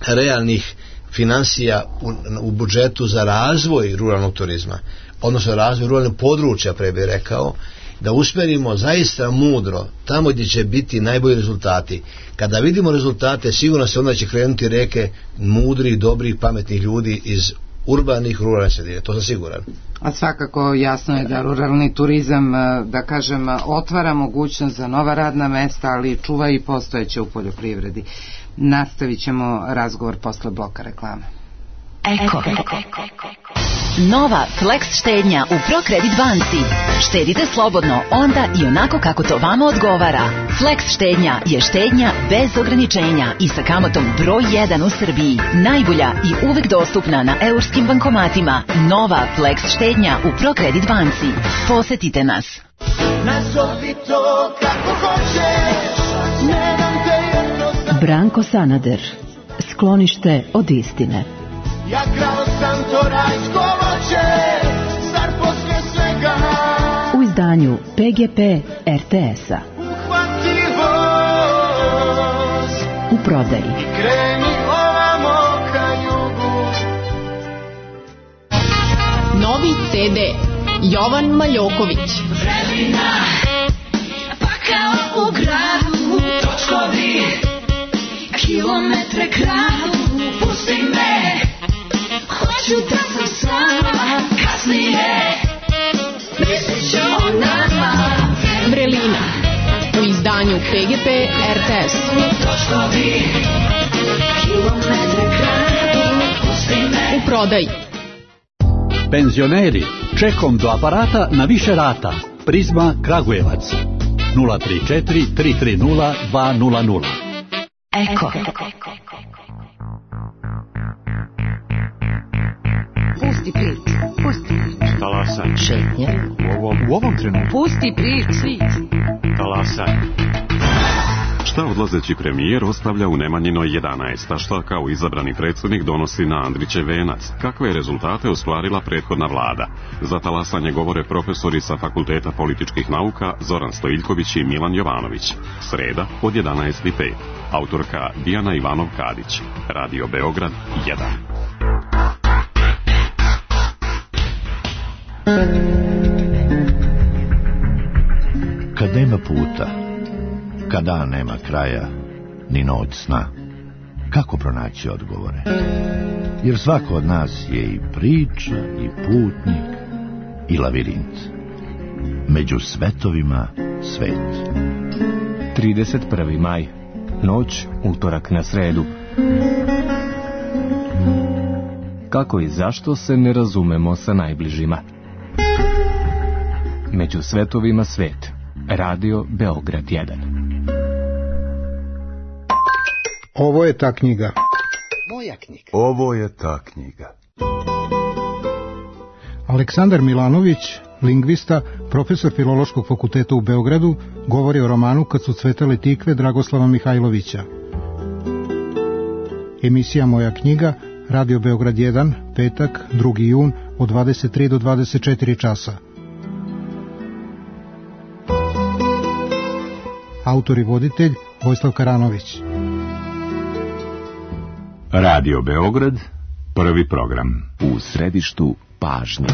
realnih financija u, u budžetu za razvoj ruralnog turizma, odnosno razvoj ruralnog područja, pre bih rekao, da usmerimo zaista mudro tamo gdje će biti najbolji rezultati. Kada vidimo rezultate, sigurno se onda će krenuti reke mudrih, dobrih, pametnih ljudi iz urbanih ruralnih sredine, to sam siguran. A svakako jasno je da ruralni turizam, da kažem, otvara mogućnost za nova radna mesta, ali čuva i postojeće u poljoprivredi. Nastavit ćemo razgovor posle bloka reklame. Eko. Nova Flex štednja u ProCredit banci. Štedite slobodno onda i onako kako to vama odgovara. Flex štednja je štednja bez ograničenja i sa kamatom broj jedan u Srbiji. Najbolja i uvek dostupna na eurskim bankomatima. Nova Flex štednja u ProCredit banci. Posetite nas. Nazovi to kako hoćeš. Branko Sanader. Sklonište od istine. Ja krao sam to rajsko voće, zar poslije svega u izdanju P G P R T S-a. Uhvati voz u prodaji. Kreni ovamo ka jugu. Novi C D Jovan Maljoković. Vremena, pa kao u gradu, točkovi, kilometre kradu, pusti me. Hoću da sam sama, kasnije mislit ću o nama. Vrelina u izdanju P G P R T S. Točkovi, kilometre kradu, pusti me. U prodaji. Penzioneri, čekom do aparata na više rata. Prizma Kragujevac nula tri četiri tri tri nula dva nula nula. Eko. Pusti priču, pusti priču. Talasaj. Šetnja. U ovom, u ovom trenutku. Pusti priču. Talasaj. Šta odlazeći premijer ostavlja u Nemanjinoj jedanaest, a šta kao izabrani predsjednik donosi na Andrićev venac? Kakve je rezultate ostvarila prethodna vlada? Za talasanje govore profesori sa Fakulteta političkih nauka Zoran Stojiljković i Milan Jovanović. Sreda od jedanaest i pet. Autorka Dijana Ivanov-Kadić. Radio Beograd jedan. Kad nema puta, kada nema kraja, ni noć sna, kako pronaći odgovore? Jer svako od nas je i priča, i putnik, i lavirint. Među svetovima svet. trideset prvi maj. Noć, utorak na sredu. Kako i zašto se ne razumemo sa najbližima? Među svetovima svet. Radio Beograd jedan. Ovo je ta knjiga. Moja knjiga. Ovo je ta knjiga. Aleksandar Milanović, lingvista, profesor Filološkog fakulteta u Beogradu, govori o romanu Kad su cvetale tikve Dragoslava Mihajlovića. Emisija Moja knjiga, Radio Beograd jedan, petak, drugi jun, od dvadeset tri do dvadeset četiri časa. Autor i voditelj Vojislav Karanović. Radio Beograd, prvi program. U središtu pažnje.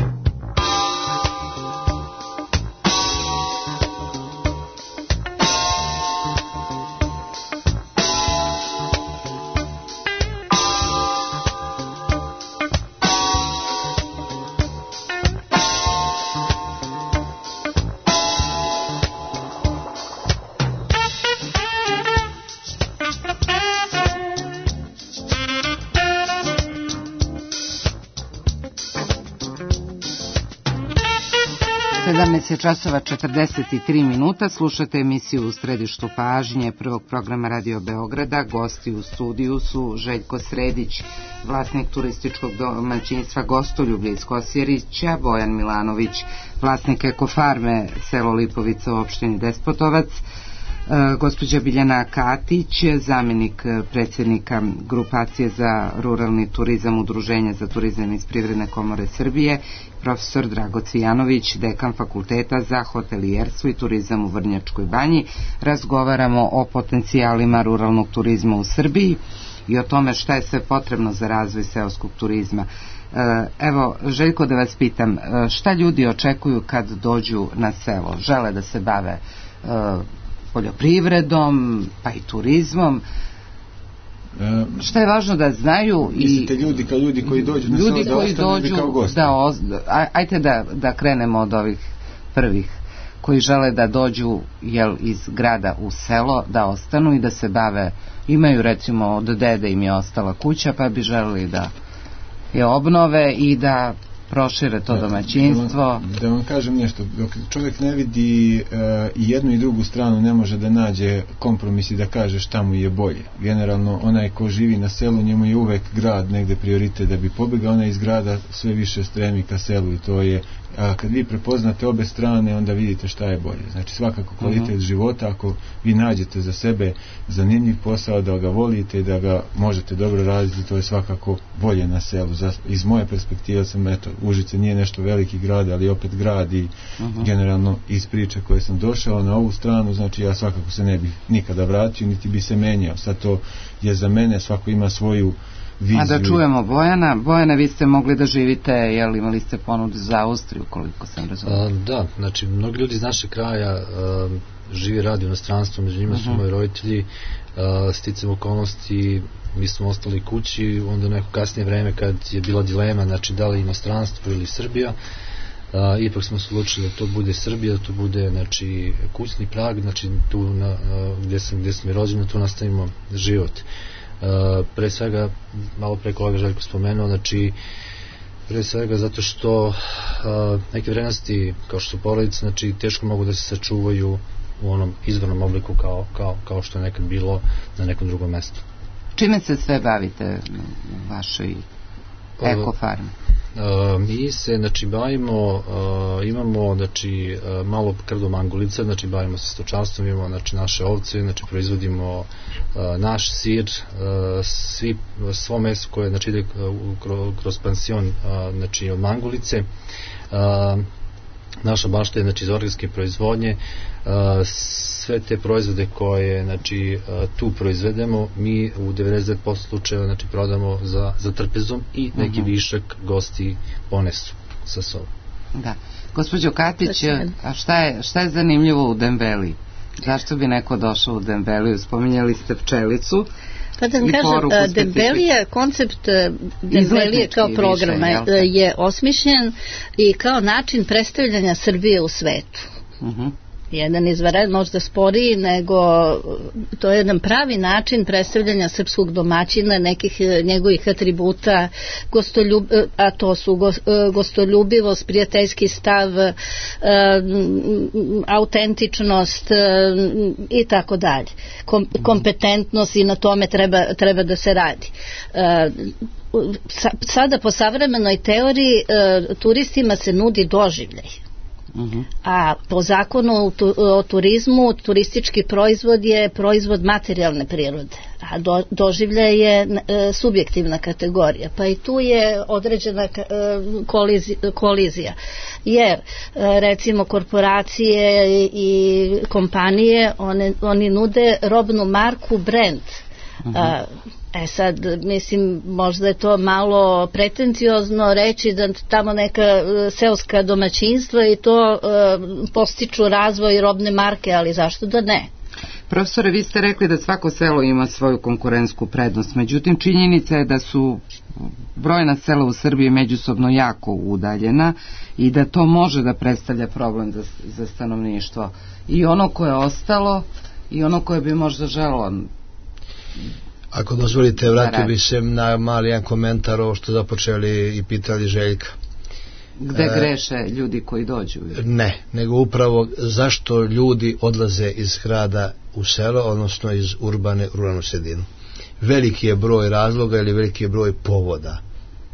sedamnaest časova četrdeset tri minuta, slušate emisiju U središtu pažnje prvog programa Radio Beograda. Gosti u studiju su Željko Sredić, vlasnik turističkog domaćinstva Gostoljublje iz Kosjerića, Bojan Milanović, vlasnik Ekofarme selo Lipovica u opštini Despotovac, gospođa Biljana Katić, zamjenik predsjednika grupacije za ruralni turizam Udruženja za turizam iz Privredne komore Srbije, profesor Drago Cvijanović, dekan fakulteta za hotelijerstvo i turizam u Vrnjačkoj Banji. Razgovaramo o potencijalima ruralnog turizma u Srbiji i o tome šta je sve potrebno za razvoj seoskog turizma. Evo, Željko, da vas pitam, šta ljudi očekuju kad dođu na selo? Žele da se bave poljoprivredom, pa i turizmom. Šta je važno da znaju i mislite ljudi kao ljudi koji dođu na ljudi selo koji da ostanu ili kao gosti? Da, oz, ajte da, da krenemo od ovih prvih koji žele da dođu jel, iz grada u selo, da ostanu i da se bave, imaju recimo od dede im je ostala kuća pa bi želeli da je obnove i da prošire to domaćinstvo. Da vam, da vam kažem nešto, dok čovjek ne vidi uh, i jednu i drugu stranu ne može da nađe kompromis i da kaže šta mu je bolje. Generalno onaj ko živi na selu, njemu je uvek grad negde prioritet da bi pobegao, onaj iz grada sve više stremi ka selu i to je, a kad vi prepoznate obe strane onda vidite šta je bolje. Znači svakako kvalitet uh-huh. života, ako vi nađete za sebe zanimljiv posao, da ga volite i da ga možete dobro raditi, to je svakako bolje na selu. Za, iz moje perspektive sam, eto, Užice nije nešto veliki grad, ali opet grad i uh-huh. generalno iz priče koje sam došao na ovu stranu, znači ja svakako se ne bih nikada vratio, niti bi se menjao. Sad to je za mene, svako ima svoju viziju. A da čujemo Bojana. Bojana, vi ste mogli da živite, jel imali ste ponudu za Austriju, koliko sam razumio? Da, znači mnogi ljudi iz našeg kraja a, živi, radi u inostranstvu, među njima uh-huh. su moji roditelji, sticam okolnosti, mi smo ostali kući, onda neko kasnije vreme kad je bila dilema, znači da li inostranstvo ili Srbija, a, ipak smo se odlučili da to bude Srbija, da to bude znači kućni prag, znači tu na, a, gdje sam, gdje sam je rođen, tu nastavimo život. Uh, pre svega, malo pre kolega Željko spomenuo, znači pre svega zato što uh, neke vrednosti kao što su porodice, znači teško mogu da se sačuvaju u onom izvornom obliku kao, kao, kao što je nekad bilo na nekom drugom mestu. Čime se sve bavite u vašoj ekofarmi? Uh, mi se znači bavimo, uh, imamo znači uh, malo krdo mangulica, znači bavimo se stočarstvom, imamo znači naše ovce, znači proizvodimo uh, naš sir, uh, svi, svo meso koje znači ide uh, kroz, kroz pansion uh, znači od mangulice. Uh, naša bašta je znači iz organske proizvodnje, uh, sve te proizvode koje znači uh, tu proizvedemo mi u devedeset devet posto slučajeva znači prodamo za, za trpezom i neki uh-huh. višak gosti ponesu sa sobom. Da. Gospođo Katić, a šta je, šta je zanimljivo u Dembeliji? Zašto bi neko došao u Dembeliju? Spominjali ste pčelicu. Pa da vam kažem, Dembelija, koncept Dembelije kao programa je, je osmišljen i kao način predstavljanja Srbije u svetu. Uh-huh. Jedan izvanred, možda sporiji, nego to je jedan pravi način predstavljanja srpskog domaćina, nekih njegovih atributa, gostoljub, a to su gostoljubivost, prijateljski stav, autentičnost i tako dalje. Kom, kompetentnost i na tome treba, treba da se radi. Sada po savremenoj teoriji turistima se nudi doživljaj. Uh-huh. A po zakonu o turizmu turistički proizvod je proizvod materijalne prirode, a do, doživljaj je e, subjektivna kategorija, pa i tu je određena e, kolizija, kolizija jer e, recimo korporacije i kompanije one, oni nude robnu marku, brand. Uh-huh. a, E sad, mislim, možda je to malo pretenciozno reći da tamo neka seoska domaćinstva i to e, postiču razvoj robne marke, ali zašto da ne? Profesore, vi ste rekli da svako selo ima svoju konkurentsku prednost, međutim činjenica je da su brojna sela u Srbiji međusobno jako udaljena i da to može da predstavlja problem za, za stanovništvo. I ono koje je ostalo i ono koje bi možda želo. Ako dozvolite, vratio bi se na mali jedan komentar ovo što započeli i pitali Željka. Gde e, greše ljudi koji dođu? Ne, nego upravo zašto ljudi odlaze iz grada u selo, odnosno iz urbane u ruralnu sredinu. Veliki je broj razloga ili veliki je broj povoda.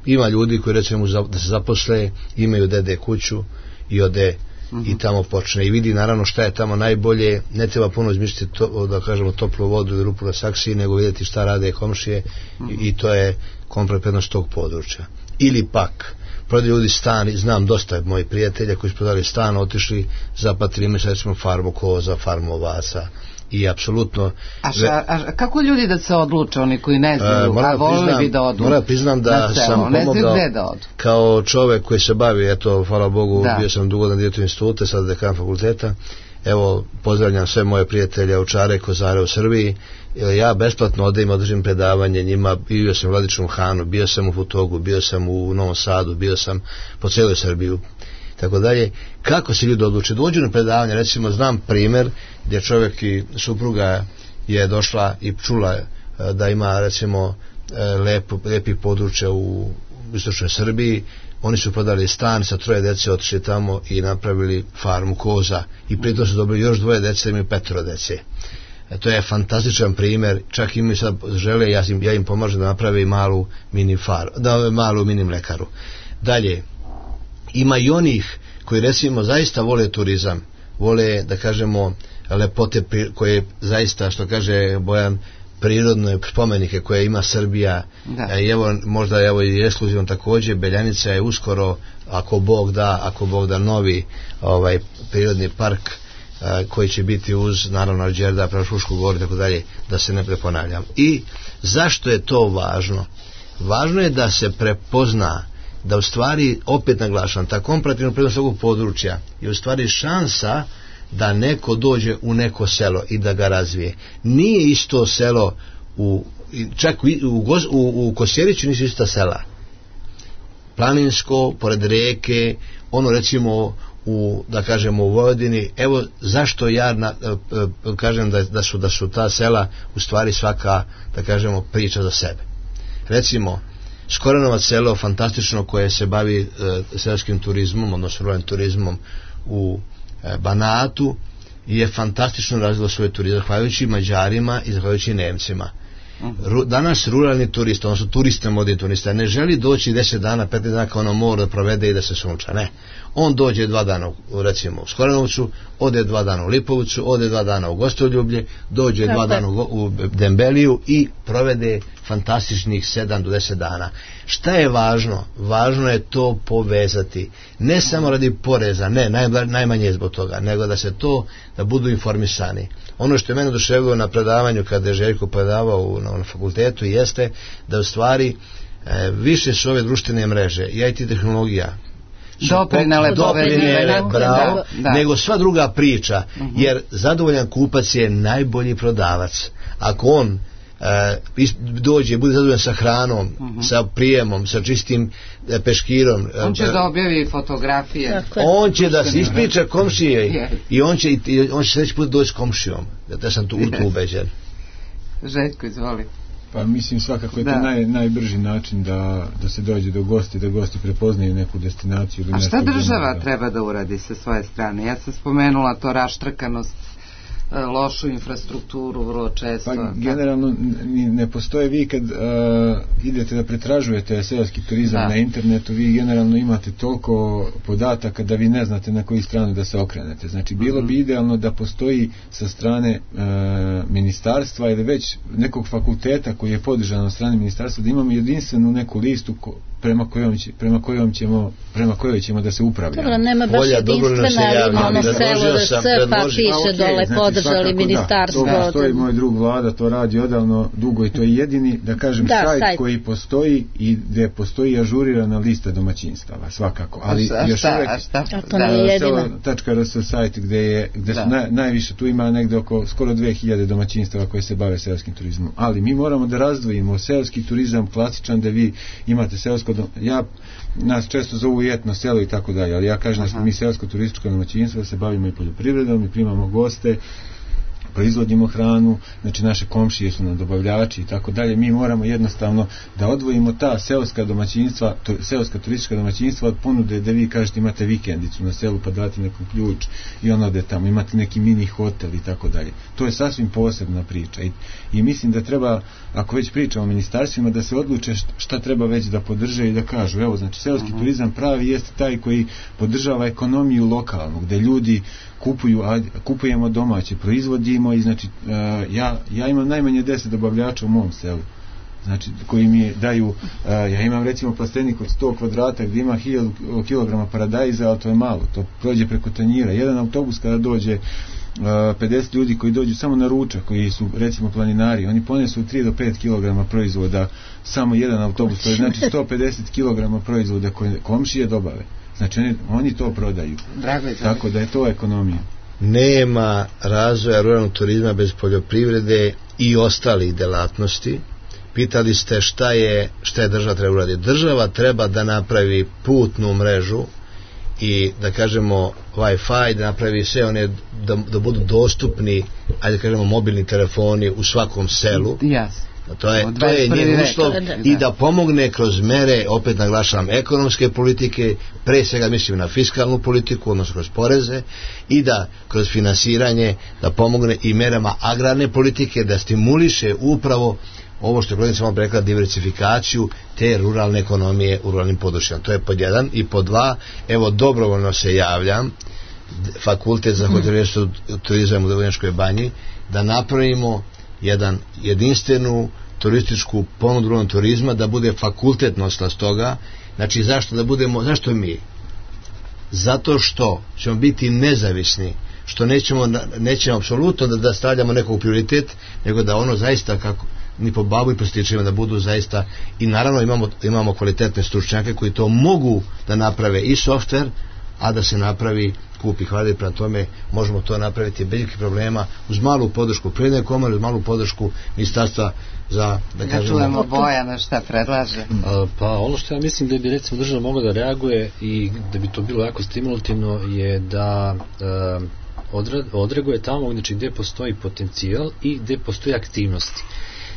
Ima ljudi koji recimo da se zaposle, imaju dede kuću i ode uh-huh. i tamo počne i vidi naravno šta je tamo najbolje, ne treba puno izmisliti to, da kažemo toplu vodu i rupu na saksiji, nego vidjeti šta rade komšije uh-huh. i, i to je kompletnost tog područja. Ili pak prodaju ljudi stan, znam dosta mojih prijatelja koji su prodali stan, otišli, zapatili ime sa recimo farmu koza, farmu ovaca i apsolutno. A, ša, a kako ljudi da se odluče, oni koji ne znaju, uh, a volili bi da odu? Moram priznam da sam pomogao da kao čovek koji se bavi, eto, hvala Bogu, da. Bio sam dugodan direktor instituta, sad dekan fakulteta. Evo, pozdravljam sve moje prijatelje Ovčare, Kozare u Srbiji ja besplatno odem, održim predavanje njima, bio sam u Vladičnom Hanu, bio sam u Futogu, bio sam u Novom Sadu, bio sam po cijeloj Srbiji, tako dalje. Kako se ljudi odluče? Dođu na predavanje, recimo znam primjer gdje čovjek i supruga je došla i čula da ima recimo lepo, lepi područja u istočnoj Srbiji. Oni su prodali stan, sa troje dece otišli tamo i napravili farmu koza i pritom su dobili još dvoje dece, imaju petoro dece. E, to je fantastičan primjer, čak imaju sad žele, ja im, ja im pomažem da naprave malu mini far, da malu mini mlekaru. Dalje, ima i onih koji recimo zaista vole turizam, vole da kažemo lepote koje zaista, što kaže Bojan, prirodne spomenike koje ima Srbija. E, i evo možda evo i ekskluzivno također Beljanica je uskoro, ako Bog da, ako Bog da novi ovaj prirodni park a, koji će biti uz naravno Đerdap, Frušku goru, tako dalje, da se ne preponavljam. I zašto je to važno? Važno je da se prepozna da u stvari, opet naglašam, ta komparativna prednost ovog područja je u stvari šansa da neko dođe u neko selo i da ga razvije. Nije isto selo u, čak u, u, u, u Kosjeriću nisu ista sela. Planinsko, pored reke, ono recimo u, da kažemo u Vojvodini, evo zašto ja na, kažem da, da, su, da su ta sela u stvari svaka, da kažemo, priča za sebe. Recimo Skorenovac selo, fantastično, koje se bavi e, selskim turizmom, odnosno ruralnim turizmom u Banatu, je fantastično razvilo svoj turizam zahvaljujući Mađarima i zahvaljujući Nemcima. Ru, danas ruralni turist, odnosno turista, modni turista, ne želi doći deset dana, petnaest dana kao na moru da provede i da se sunča, ne. On dođe dva dana u, recimo u Skorenovcu, ode dva dana u Lipovcu, ode dva dana u Gostoljublje, dođe dva dana u, u Dembeliju i provede fantastičnih sedam do deset dana. Šta je važno? Važno je to povezati, ne samo radi poreza, ne, naj, najmanje zbog toga, nego da se to, da budu informisani. Ono što je mene oduševilo na predavanju kada je Željko predavao u, na, na fakultetu jeste da u stvari e, više su ove društvene mreže i I T tehnologija doprinele doprinele bravo, da, nego sva druga priča, uh-huh. jer zadovoljan kupac je najbolji prodavac. Ako on e, dođe, bude zadovoljan sa hranom, uh-huh. sa prijemom, sa čistim e, peškirom, on će e, da objavi fotografije, on će da se ispriča komšije i on će, i on će sljedeći put doći s komšijom, da sam tu u to ubeđen. Željko, izvoli. Pa mislim svakako je to naj, najbrži način da, da se dođe do gosti, da gosti prepoznaju neku destinaciju. A šta država da... treba da uradi sa svoje strane? Ja sam spomenula to raštrkanost, lošu infrastrukturu vrlo često. Pa generalno ne postoje, vi kad uh, idete da pretražujete seoski turizam da. na internetu, vi generalno imate toliko podataka da vi ne znate na koju stranu da se okrenete. Znači bilo bi idealno da postoji sa strane uh, ministarstva ili već nekog fakulteta koji je podržan na strani ministarstva, da imamo jedinstvenu neku listu ko, prema kojom će, prema kojom ćemo prema kojoj ćemo da se upravljamo. Dobro, nema baš jedinstvena, ali ima ono selo da se pa piše dole podržali ministarstvo. Da, to postoji, moj drug Vlada to radi odavno dugo i to je jedini, da kažem, da, sajt, sajt koji postoji i gdje postoji ažurirana lista domaćinstava, svakako. Ali a još šta, uvek a šta? A to nije jedino. selo tačka r s sajt gdje je, gdje su naj, najviše, tu ima negdje oko skoro dve hiljade domaćinstava koje se bave seoskim turizmom. Ali mi moramo da razdvojimo seoski turizam klasičan, da vi imate seosko dom... ja nas često zovu etno selo i tako dalje, ali ja kažem da smo mi seosko turističko domaćinstvo, da se bavimo i poljoprivredom i primamo goste, proizvodimo hranu, znači naše komšije su nam dobavljači i tako dalje. Mi moramo jednostavno da odvojimo ta seoska domaćinstva, to, seoska turistička domaćinstva od ponude da vi kažete imate vikendicu na selu pa date nekom ključ i on ode tamo, imate neki mini hotel i tako dalje. To je sasvim posebna priča i, i mislim da treba, ako već pričamo o ministarstvima, da se odluče šta treba već da podrže i da kažu, evo, znači seoski uh-huh. turizam pravi jeste taj koji podržava ekonomiju lokalnu, gde ljudi kupuju, a, kupujemo domaće, proizvodimo i znači uh, ja, ja imam najmanje deset dobavljača u mom selu, znači koji mi daju, uh, ja imam recimo plastenik od sto kvadrata gdje ima hiljadu kilograma paradajza, ali to je malo, to prođe preko tanjira. Jedan autobus kada dođe uh, pedeset ljudi koji dođu samo na ručak, koji su recimo planinari, oni ponesu tri do pet kilograma proizvoda, samo jedan autobus, to je znači sto pedeset kilograma proizvoda koje komšije dobave. Znači oni, oni to prodaju. Drago je, tako da je to ekonomija. nema razvoja ruralnog turizma bez poljoprivrede i ostalih delatnosti. Pitali ste šta je, šta je država treba uraditi. Država treba da napravi putnu mrežu i da kažemo Wi-Fi, da napravi sve one, da, da budu dostupni, ajde da kažemo mobilni telefoni u svakom selu. Yes. To je, to je njen uslov i da pomogne kroz mere, opet naglašavam, ekonomske politike, pre svega mislim na fiskalnu politiku, odnosno kroz poreze, i da kroz finansiranje da pomogne i merama agrarne politike, da stimuliše upravo ovo što je kolegica vam rekla, diversifikaciju te ruralne ekonomije u ruralnim područjima. To je pod jedan. I pod dva, evo dobrovoljno se javljam, Fakultet za hotelijerstvo i turizam u Vrnjačkoj Banji, da napravimo jedan jedinstvenu turističku ponudu ruralnog turizma, da bude fakultet nosilac toga. Znači zašto da budemo, zašto mi? Zato što ćemo biti nezavisni, što nećemo, nećemo apsolutno da, da stavljamo nekog prioritet, nego da ono zaista kako ni po babu i po stičima da budu zaista, i naravno imamo, imamo kvalitetne stručnjake koji to mogu da naprave i softver, a da se napravi kupi hvali, prema tome možemo to napraviti bez ikakvih problema, uz malu podršku Privredne komore, uz malu podršku ministarstva za, da kažemo... Ja čujemo Bojana šta predlaže. A, pa ono što ja mislim da bi recimo država mogla da reaguje i da bi to bilo jako stimulativno je da e, odreaguje tamo, znači gde postoji potencijal i gde postoji aktivnosti.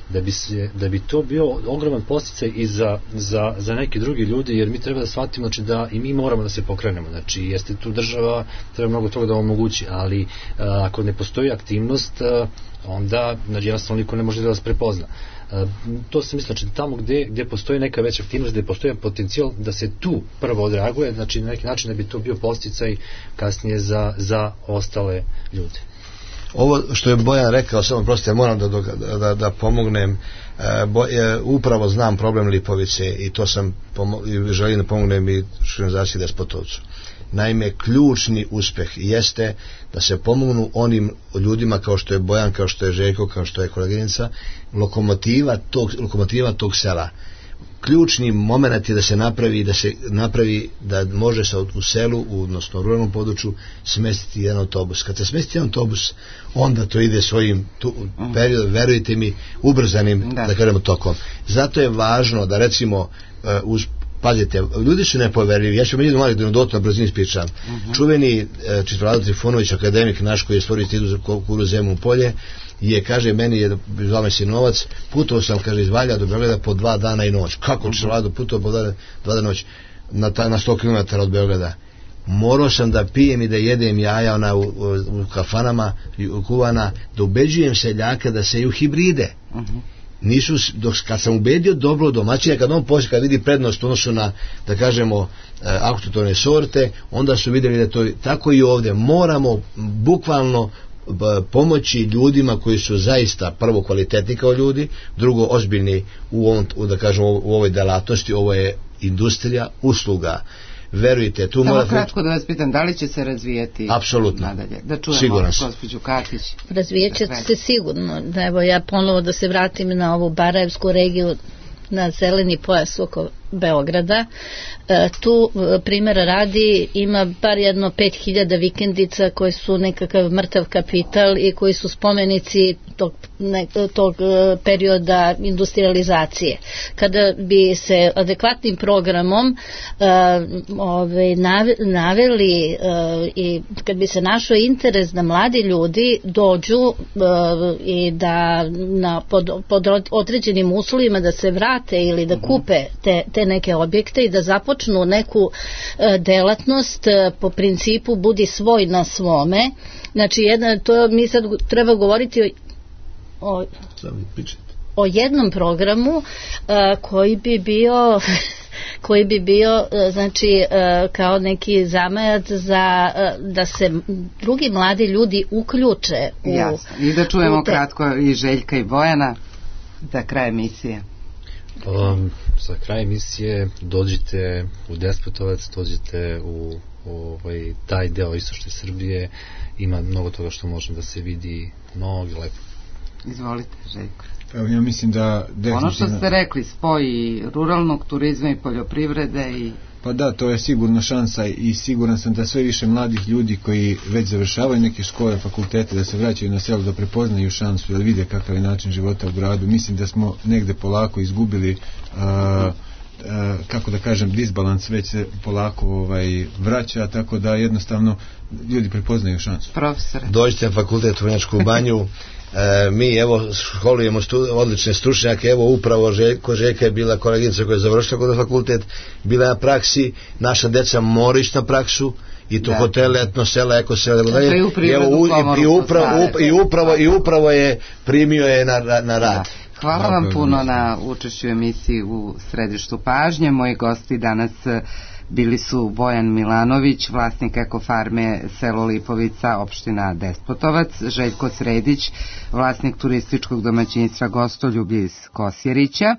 Da bi, se, da bi to bio ogroman podsticaj i za, za, za neke drugi ljudi, jer mi treba da shvatimo, znači, da i mi moramo da se pokrenemo, znači jeste tu država, treba mnogo toga da omogući, ali a, ako ne postoji aktivnost, a, onda znači, jednostavno niko ne može da vas prepozna. A, to se misli, znači tamo gde, gde postoji neka veća aktivnost, gde postoji potencijal da se tu prvo odreaguje, znači na neki način da bi to bio podsticaj kasnije za, za ostale ljude. Ovo što je Bojan rekao, samo prosto ja moram da, da, da pomognem, e, bo, e, upravo znam problem Lipovice i to sam pomo, i želim da pomognem i organizaciji Despotovcu. Naime, ključni uspeh jeste da se pomognu onim ljudima kao što je Bojan, kao što je Željko, kao što je koleginica, lokomotiva tog, lokomotiva tog sela. Ključni moment je da se napravi da se napravi da može se u selu, odnosno u ruralnom području smestiti jedan autobus. Kad se smesti jedan autobus, onda to ide svojim tu, periodom, verujte mi, ubrzanim, da. da kažemo, tokom. Zato je važno da recimo uh, uz pazite, ljudi su nepoverljivi. Ja ću meni mali dodatno na brzini ispričam. Uh-huh. Čuveni uh, Čistoslav Trifunović, akademik naš koji je stvorio institut za kulturu Zemun polje, je, kaže, meni je zvao me sinovac, putovao sam, kaže, iz Valja do Beograda po dva dana i noć. Kako uh-huh. Čistoslav putovao po dva, dva dana noć na, ta, na sto kilometara od Beograda? Morao sam da pijem i da jedem jaja ona u, u, u kafanama u kuvana, da ubeđujem seljaka da seju hibride. Uh-huh. Nisu, dok, kad sam ubedio dobro domaćina, kad on poslije, kad vidi prednost odnosu na, da kažemo, e, autohtone sorte, onda su vidjeli da to tako i ovdje moramo bukvalno b, pomoći ljudima koji su zaista prvo kvalitetni kao ljudi, drugo ozbiljni u ovom, u, da kažemo, u ovoj delatnosti. Ovo je industrija usluga. Verujte, tu samo mora... kratko da vas pitam, da li će se razvijati apsolutno nadalje? Da čujemo gospođu Katić. Razvijat će se sigurno. Evo ja ponovo da se vratim na ovu Barajevsku regiju, na zeleni pojas oko Beograda. E, tu primjera radi ima bar jedno pet hiljada vikendica koji su nekakav mrtav kapital i koji su spomenici tog, ne, tog perioda industrializacije. Kada bi se adekvatnim programom e, ove, naveli e, i kad bi se našao interes da mladi ljudi dođu e, i da na, pod, pod određenim uslovima da se vrate ili da kupe te, te neke objekte i da započnu neku e, delatnost e, po principu budi svoj na svome. Znači jedna, to mi sad treba govoriti o, o, o jednom programu e, koji bi bio koji bi bio e, znači e, kao neki zamajac za e, da se drugi mladi ljudi uključe u, jasno. I da čujemo te... kratko i Željka i Bojana za kraj emisije. Um, za kraj emisije dođite u Despotovac, dođite u, u ovaj, taj deo istočne Srbije, ima mnogo toga što može da se vidi, mnogo lepo. Izvolite, Željko. Evo, ja mislim da definitivno... ono što ste rekli, spoj ruralnog turizma i poljoprivrede i Pa da, to je sigurno šansa i siguran sam da sve više mladih ljudi koji već završavaju neke škole, fakultete, da se vraćaju na selo, da prepoznaju šansu, da vide kakav je način života u gradu. Mislim da smo negde polako izgubili a, a, kako da kažem, disbalans već se polako ovaj, vraća, tako da jednostavno ljudi prepoznaju šansu. Profesore. Dođite na fakultet u Vrnjačku banju. E, mi evo školujemo stu, odlične stručnjake, evo upravo Željko, Željka je bila koleginica koja je završila kod fakultet, bila na praksi, naša deca moraju ići na praksu i to da. Hotele, etnosela, ekosela, tako dalje. I evo u, i, i, upravo, up, i upravo i upravo je primio je na, na, na rad. Da. Hvala vam puno na učešću emisiji u Središtu pažnje. Moji gosti danas bili su Bojan Milanović, vlasnik ekofarme selo Lipovica, opština Despotovac, Željko Sredić, vlasnik turističkog domaćinstva Gostoljublje iz Kosjerića,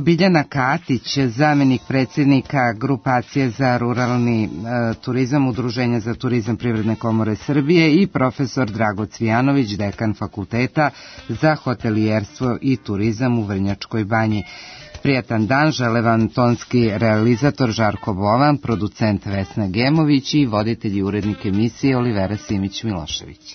Biljana Katić, zamenik predsjednika grupacije za ruralni e, turizam Udruženja za turizam Privredne komore Srbije i profesor Drago Cvijanović, dekan fakulteta za hotelijerstvo i turizam u Vrnjačkoj banji. Prijatan dan žele vam tonski realizator Žarko Bovan, producent Vesna Gemović i voditelj i urednik emisije Olivera Simić-Milošević.